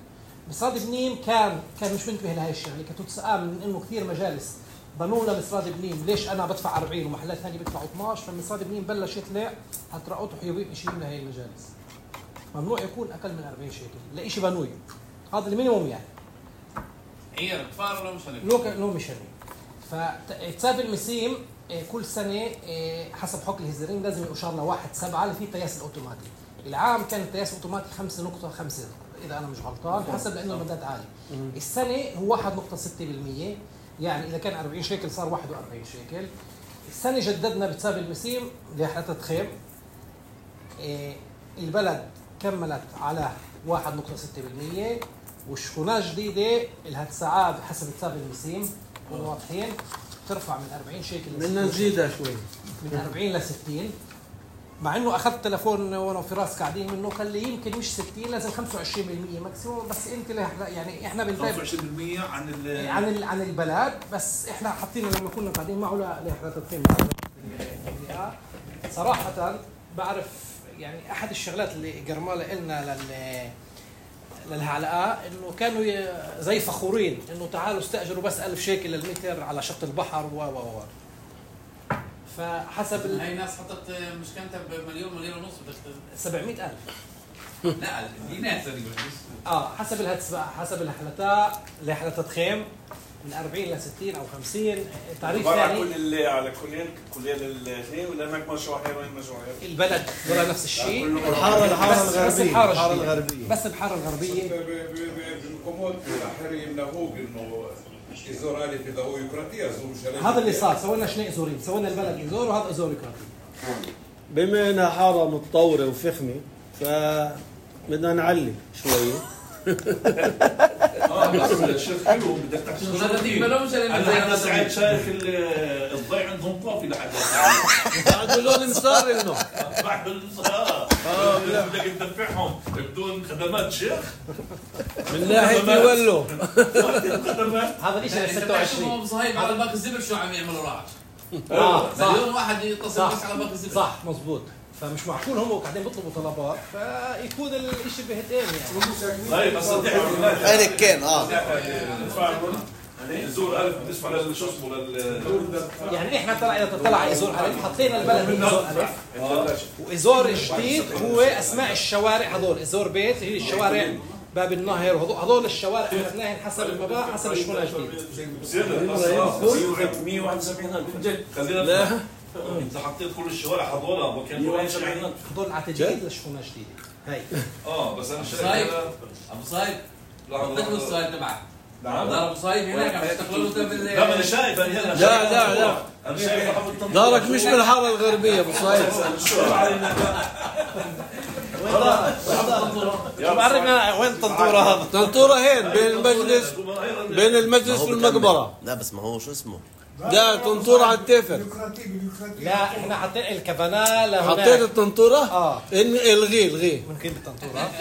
مصراد بنين كان كان مش منتبه لهي الشغله، كانت تسأل من انه كثير مجالس بنوا لمصراد بنين ليش انا بدفع أربعين ومحلات ثانيه بيدفعوا اثني عشر، فمصراد بنين بلش يطلع هترقطوا حيوبين شيء لهي المجالس. ممنوع يكون اقل من أربعين شيكل لشيء بنوي، هذا المينيموم يعني. عير كفار ولا مش هنك؟ لو لو مش هنك. فتساب المسيم كل سنه حسب حكم الهزارين لازم يشار لواحد سبعه اللي فيه التياس الاوتوماتي. العام كان التياس الاوتوماتي خمسة نقطة خمسة اذا انا مش غلطان حسب لانه المداد عالي. السنه هو واحد نقطة ستة بالمئة يعني اذا كان أربعين شيكل صار واحد وأربعين شيكل. السنه جددنا بتساب المسيم لحتى تخيم البلد كملت على واحد نقطة ستة بالمئة والشكونات جديده لها تسعة حسب تساب المسيم واضحين ترفع من أربعين شيكل بدنا نزيدها شوي من أربعين ل ستين. مع انه اخذت تليفون وانا وفراس قاعدين منه قال لي يمكن مش ستين لازم خمسة وعشرين بالمئة ماكسيموم، بس انت يعني احنا بنتابع خمسة وعشرين بالمئة عن عن ال عن البلد، بس احنا حاطين لما كنا قاعدين معه لحالات الخيم. صراحه بعرف يعني احد الشغلات اللي جرماله لنا لل للهعلقاء انه كانوا زي فخورين انه تعالوا استاجروا بس ألف شيكل للمتر على شط البحر و و و فحسب ال... هاي ناس حطت مشكلتها بمليون مليون ونص سبعمئة ألف لا دي ناس اه حسب الهتس حسب الحلتات لحلتات خيم من أربعين ل ستين او خمسين تعريف ثاني كل اللي على كلين كلين الاثنين ولا هناك مشروع حيوان مشروع البلد ولا نفس الشيء الحاره الحاره الغربيه الحاره الغربيه بس الحاره الغربيه بالكومود الاحري يمنعوك انه ازور الف اذا هو يوكراتي ازور هذا اللي صار. سوينا شنو ازورين، سوينا البلد ازور وهذا ازور يوكراتي. بما انها حاره متطوره وفخمه فبدنا نعلي شوي. اه بس الشيخ حلو بدك تحكي انا سعيد شايف الضيع عندهم طافي لحد بعد لون مصار انه بعد اه بدك تدفعهم بدون خدمات شيخ من ناحيه يولوا هذا الشيء ل ستة وعشرين صهيب على باقي الزبر شو عم يعملوا راح اه مليون واحد يتصل بس على باقي الزبر صح مزبوط. فمش معقول هم قاعدين بيطلبوا طلبات فيكون الشيء بهتين يعني. طيب بس هيك كان اه زور ألف بالنسبة للشو اسمه لل يعني احنا طلع اذا طلع ازور الف حطينا البلد من ازور الف وازور الجديد هو اسماء الشوارع هذول ازور بيت هي الشوارع باب النهر وهذول الشوارع اخذناهم حسب المبا حسب الشغل الجديد. مئة وواحد وسبعين ألف خلينا انت حطيت كل الشوارع هذول وكان مئة وسبعين ألف هذول على تجديد للشغل الجديد هاي اه بس انا صايب ابو صايب حطيت له السؤال تبعك نعم ابو صايب هناك عم يشتغلوا بال لا ما انا شايف انا هنا لا لا لا انا شايف دارك مش بالحاره الغربيه ابو صايب. بعرفنا وين الطنطوره هذا. طنطوره هين بين المجلس بين المجلس والمقبره. لا بس ما هو شو اسمه لا طنطوره على التافر. لا احنا حاطين الكبانه لهناك. حطيت الطنطوره؟ اه الغي الغي ممكن بالطنطوره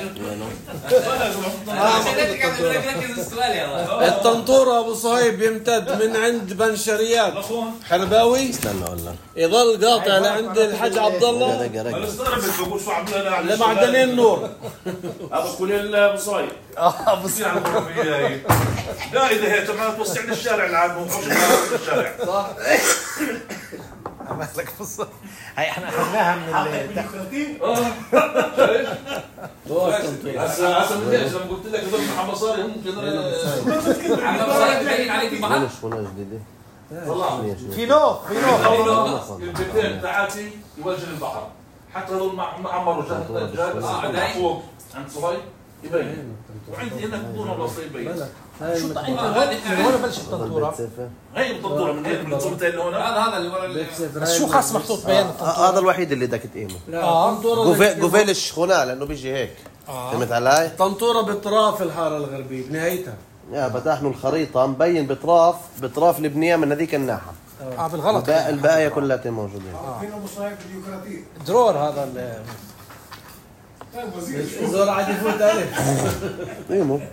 الطنطوره ابو صهيب يمتد من عند بنشريات حرباوي استنى والله يضل قاطع لعند الحاج عبد الله انا استغربت بقول شو عملنا لمعدنين النور. هذا كل ابو صهيب اه ابو صهيب لا اذا هي تمام توسع لي الشارع العام مو الشارع صح. مالك بص هاي احنا اخذناها من هسه هسه من ليش لما قلت لك هذول محمد صاري هم محمد صاري ببين عليك البحر شغله جديده والله في نوف في نوف البيتين تاعتي يوجه البحر حتى هذول معمروا جهه فوق عند صهيب يبين وعندي هنا بدون ولا يبين شو انت من وين بلش الطنطوره؟ هي الطنطوره من هيك من صورتين لهون. هذا هذا اللي ورا بس شو خاص محطوط بيان الطنطوره؟ هذا الوحيد اللي بدك تقيمه. لا الطنطورة جوفيل جوفيل الشخونة لانه بيجي هيك. فهمت علي؟ الطنطورة بطراف الحارة الغربية بنهايتها. يا فتحنا الخريطة مبين بطراف بطراف البنية من هذيك الناحية. اه بالغلط الباقي الباقية كلها موجودين. فينا مصايب الديمقراطية. درور هذا ال طيب وزير شو؟ الزور عاد يفوت عليه. قيمه.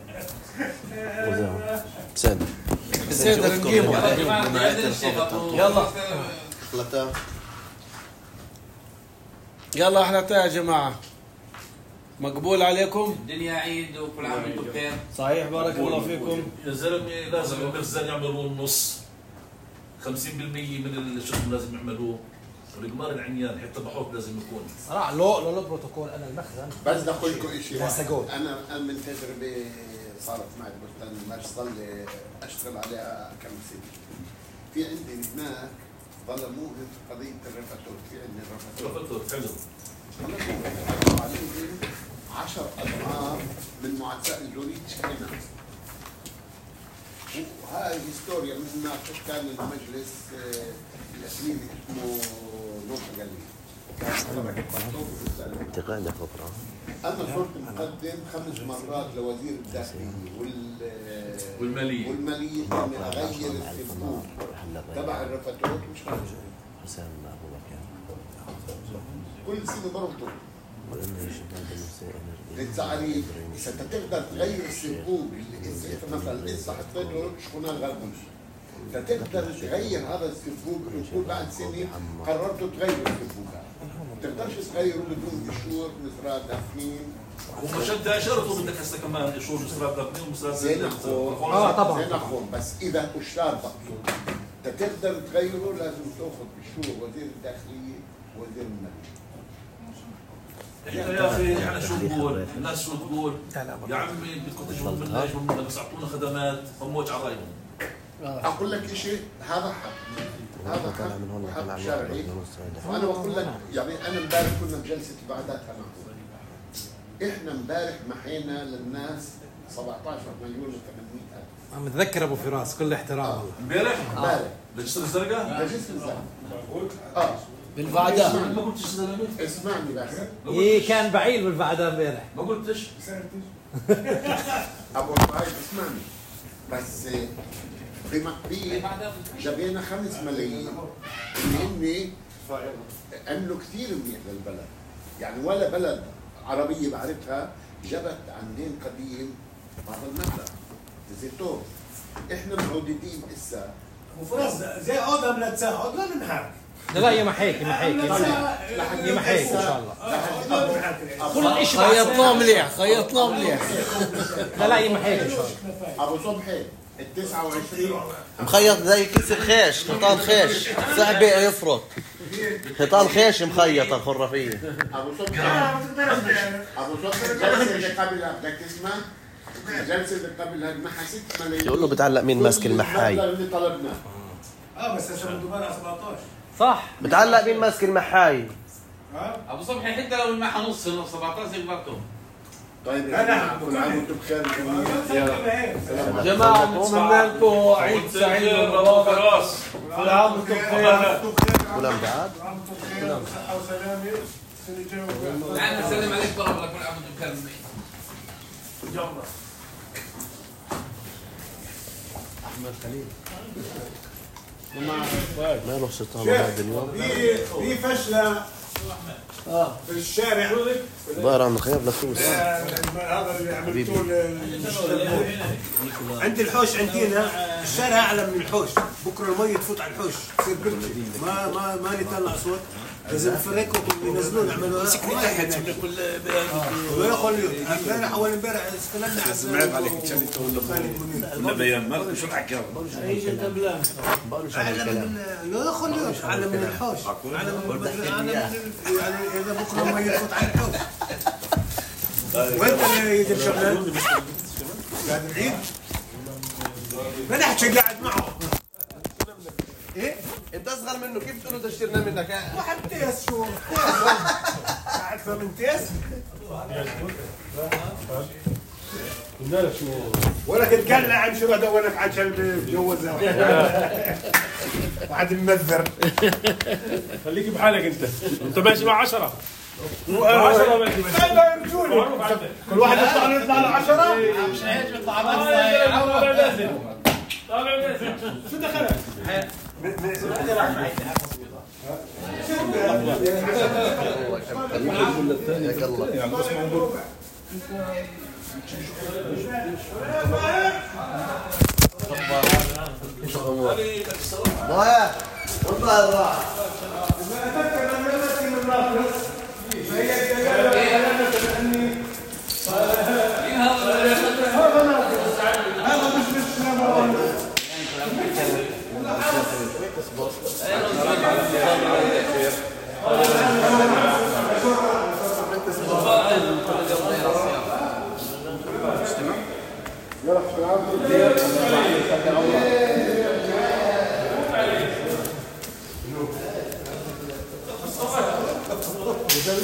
سن. السيدة نقيمه. يلا. اخلطها. يلا احنا يا جماعة. مقبول عليكم؟ الدنيا عيد وكل عام وانتم بخير. صحيح بارك الله فيكم. يا زلمه لازم المخزن يعملوا النص خمسين بالمية من الشغل لازم يعملوه. القمار العميان حتى بحوط لازم يكون صراحه لو لو البروتوكول انا المخزن بس بدي اقول لكم شيء لا واحد. سجود. انا انا من تجربه صارت معي بستان المرش ضل اشتغل عليها كم سنه. في عندي هناك ظلموه قضيه الرفاتور، في عندي الرفاتور حلو ظلموه عليهم عشر اضعاف من معدات الجوريد شكلنا. وهاي هيستوريا من هناك كان المجلس الاسمين اسمه نوح قليل. انتقال خبرة. أنا صرت مقدم خمس مرات لوزير الداخلية وال والمالية والمالية إني أغير الصندوق تبع الرفاتور مش خارج. حسام أبو بكر. كل سنة برضه. للتعريف إذا أنت تقدر تغير الصندوق إذا أنت مثلا لسه حطيت له شخونة الغربية. أنت تقدر تغير هذا الصندوق وتقول بعد سنة قررت تغير الصندوق هذا. ما تقدرش تغيره بدون قشور مزرعة دافنين. ومشان اشرته بدك هسه كمان قشور مصرات دافنين ومصرات زي نخون. اه طبعا زي نخون بس اذا قشار بقى انت تقدر تغيره لازم تاخذ قشور وزير الداخليه وزير الماليه. احنا يا اخي احنا شو نقول؟ الناس شو تقول؟ يا عمي بدكم تجوا منا يجوا منا بس اعطونا خدمات هموج على رايهم. اقول لك شيء هذا حق هذا حق حق شرعي. وانا بقول لك يعني انا امبارح كنا بجلسه بعدات معهم. احنا امبارح محينا للناس سبعطعش مليون وثمانمئة ألف. عم نتذكر ابو فراس كل احترام والله. امبارح؟ امبارح لجسر الزرقاء؟ لجسر الزرقاء اه بالبعداء. ما قلتش زلمه؟ اسمعني بس ايه كان بعيد بالبعداء امبارح. ما قلتش؟ ابو طيب اسمعني بس بمقبيل جابينا خمس ملايين اللي هن عملوا كثير منيح للبلد. يعني ولا بلد عربية بعرفها جبت عن دين قديم هذا المبلغ زيتون. احنا معودين اسا وفرص زي عودة من تساعد لا ننحاك. لا لا يمحيك يمحيك يمحيك ان شاء الله. كل شيء خيطناه مليح خيطناه مليح. لا لا يمحيك ان شاء الله. ابو صبحي ال تسعة وعشرين مخيط زي كيس الخيش، خيطان خيش، صعبة يفرط. خيطان خيش مخيطة الخرافية. ابو صبحي ابو صبحي الجلسة اللي قبلها بدك تسمع؟ الجلسة اللي قبلها معها ست ملايين. يقول له بتعلق مين ماسك المحاي. اللي طلبناه. اه بس هسه بده بقى سبعطعش. صح. بتعلق مين ماسك المحاي. ابو صبحي حتى لو معها نص سبعطعش يقبضكم. طيب انا كل عام وانتم بخير جميعا. جماعة نتمنى لكم عيد سعيد ومبارك. كل عام وانتم بخير. ولا مبعد؟ كل عام صحة وسلامة. السنة الجاية. تعال نسلم عليك برا كل عام وانتم بخير. يلا. أحمد خليل. ما له شيطان هذا اليوم. في في فشلة في الشارع. ظاهر عم نخيب لسوس. هذا اللي عملتوه عند الحوش عندنا الشارع اعلى من الحوش. بكره المي تفوت على الحوش تصير بركه ما ما ما نطلع صوت. لازم نفرقهم وينزلون يعملوا سكني تحت ولا يخلوا. امبارح اول امبارح استلمنا على سمعت عليك شلته ولا ولا بيان ما شو تحكي ايش انت بلان؟ اعلى من لا يخلوا اعلى من الحوش. اعلى من اعلى من يعني اذا بكره المي تفوت على الحوش. وانت اللي يجيب شغلات قاعد بعيد ما نحكي قاعد معه. ايه انت اصغر منه كيف تقول له تشترنا منك؟ واحد تيس شو قاعد من تيس قلنا لك شو ولك تقلع عن شو ولك عشان بتجوزها واحد ممذر. خليك بحالك انت انت ماشي مع عشرة عشرة ماشي ماشي لا يرجوني كل واحد يطلع له يطلع له عشرة مش هيك بيطلع طالع نازل طالع نازل شو دخلك؟ ضايع والله الراحة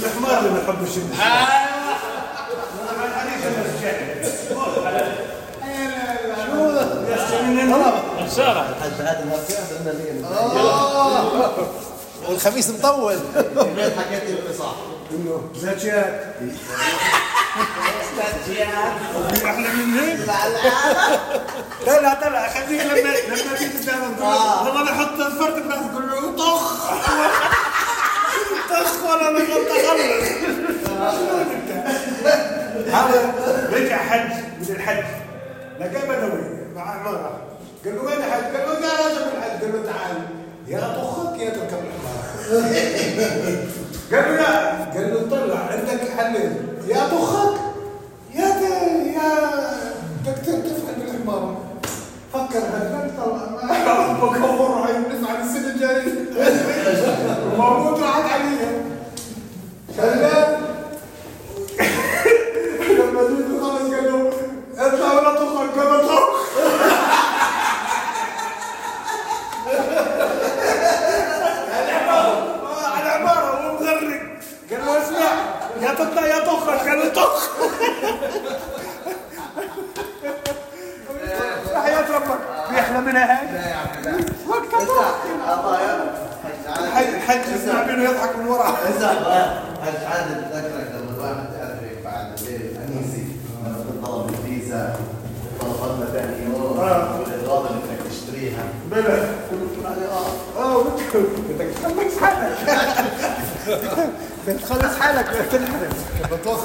الحمار اللي ما يحبش والخميس مطول حكيت لي صح انه زكيات احلى من هيك لا لا طلع خليه لما لما تيجي قدام لما نحط الفرد براسه تقول له طخ طخ ولا نقول تخلص. هذا رجع حج من الحج لقى بدوي مع عماره قال له وين حج؟ قال له يا رجل الحج. قال له تعال يا طخك يا تركب الحمار. قال له لا. قال له طلع عندك حلين يا طخك يا يا دكتور تفعل بالحمار. فكر هذا طلع بكور عين نسمع السنه الجايه وموجود راحت عليها شغال. لما جيت خلص قال له اطلع ولا طخك. قال له طخ. على عماره وهو مغرق. قال له اسمع يا تطلع يا طخك. قال له طخ. حياة ربك بيحلى منها هاي وقت الحج يسمع منه يضحك من وراه. حج عادل بذكرك لما الواحد تعرف هيك بعد الليل الانيسي لما تطلب الفيزا طلبنا ثاني يوم والاغراض اللي بدك تشتريها بلا قلت عليه اه اه بدك تخلص حالك بدك تخلص حالك. بتنحرم بتوخ.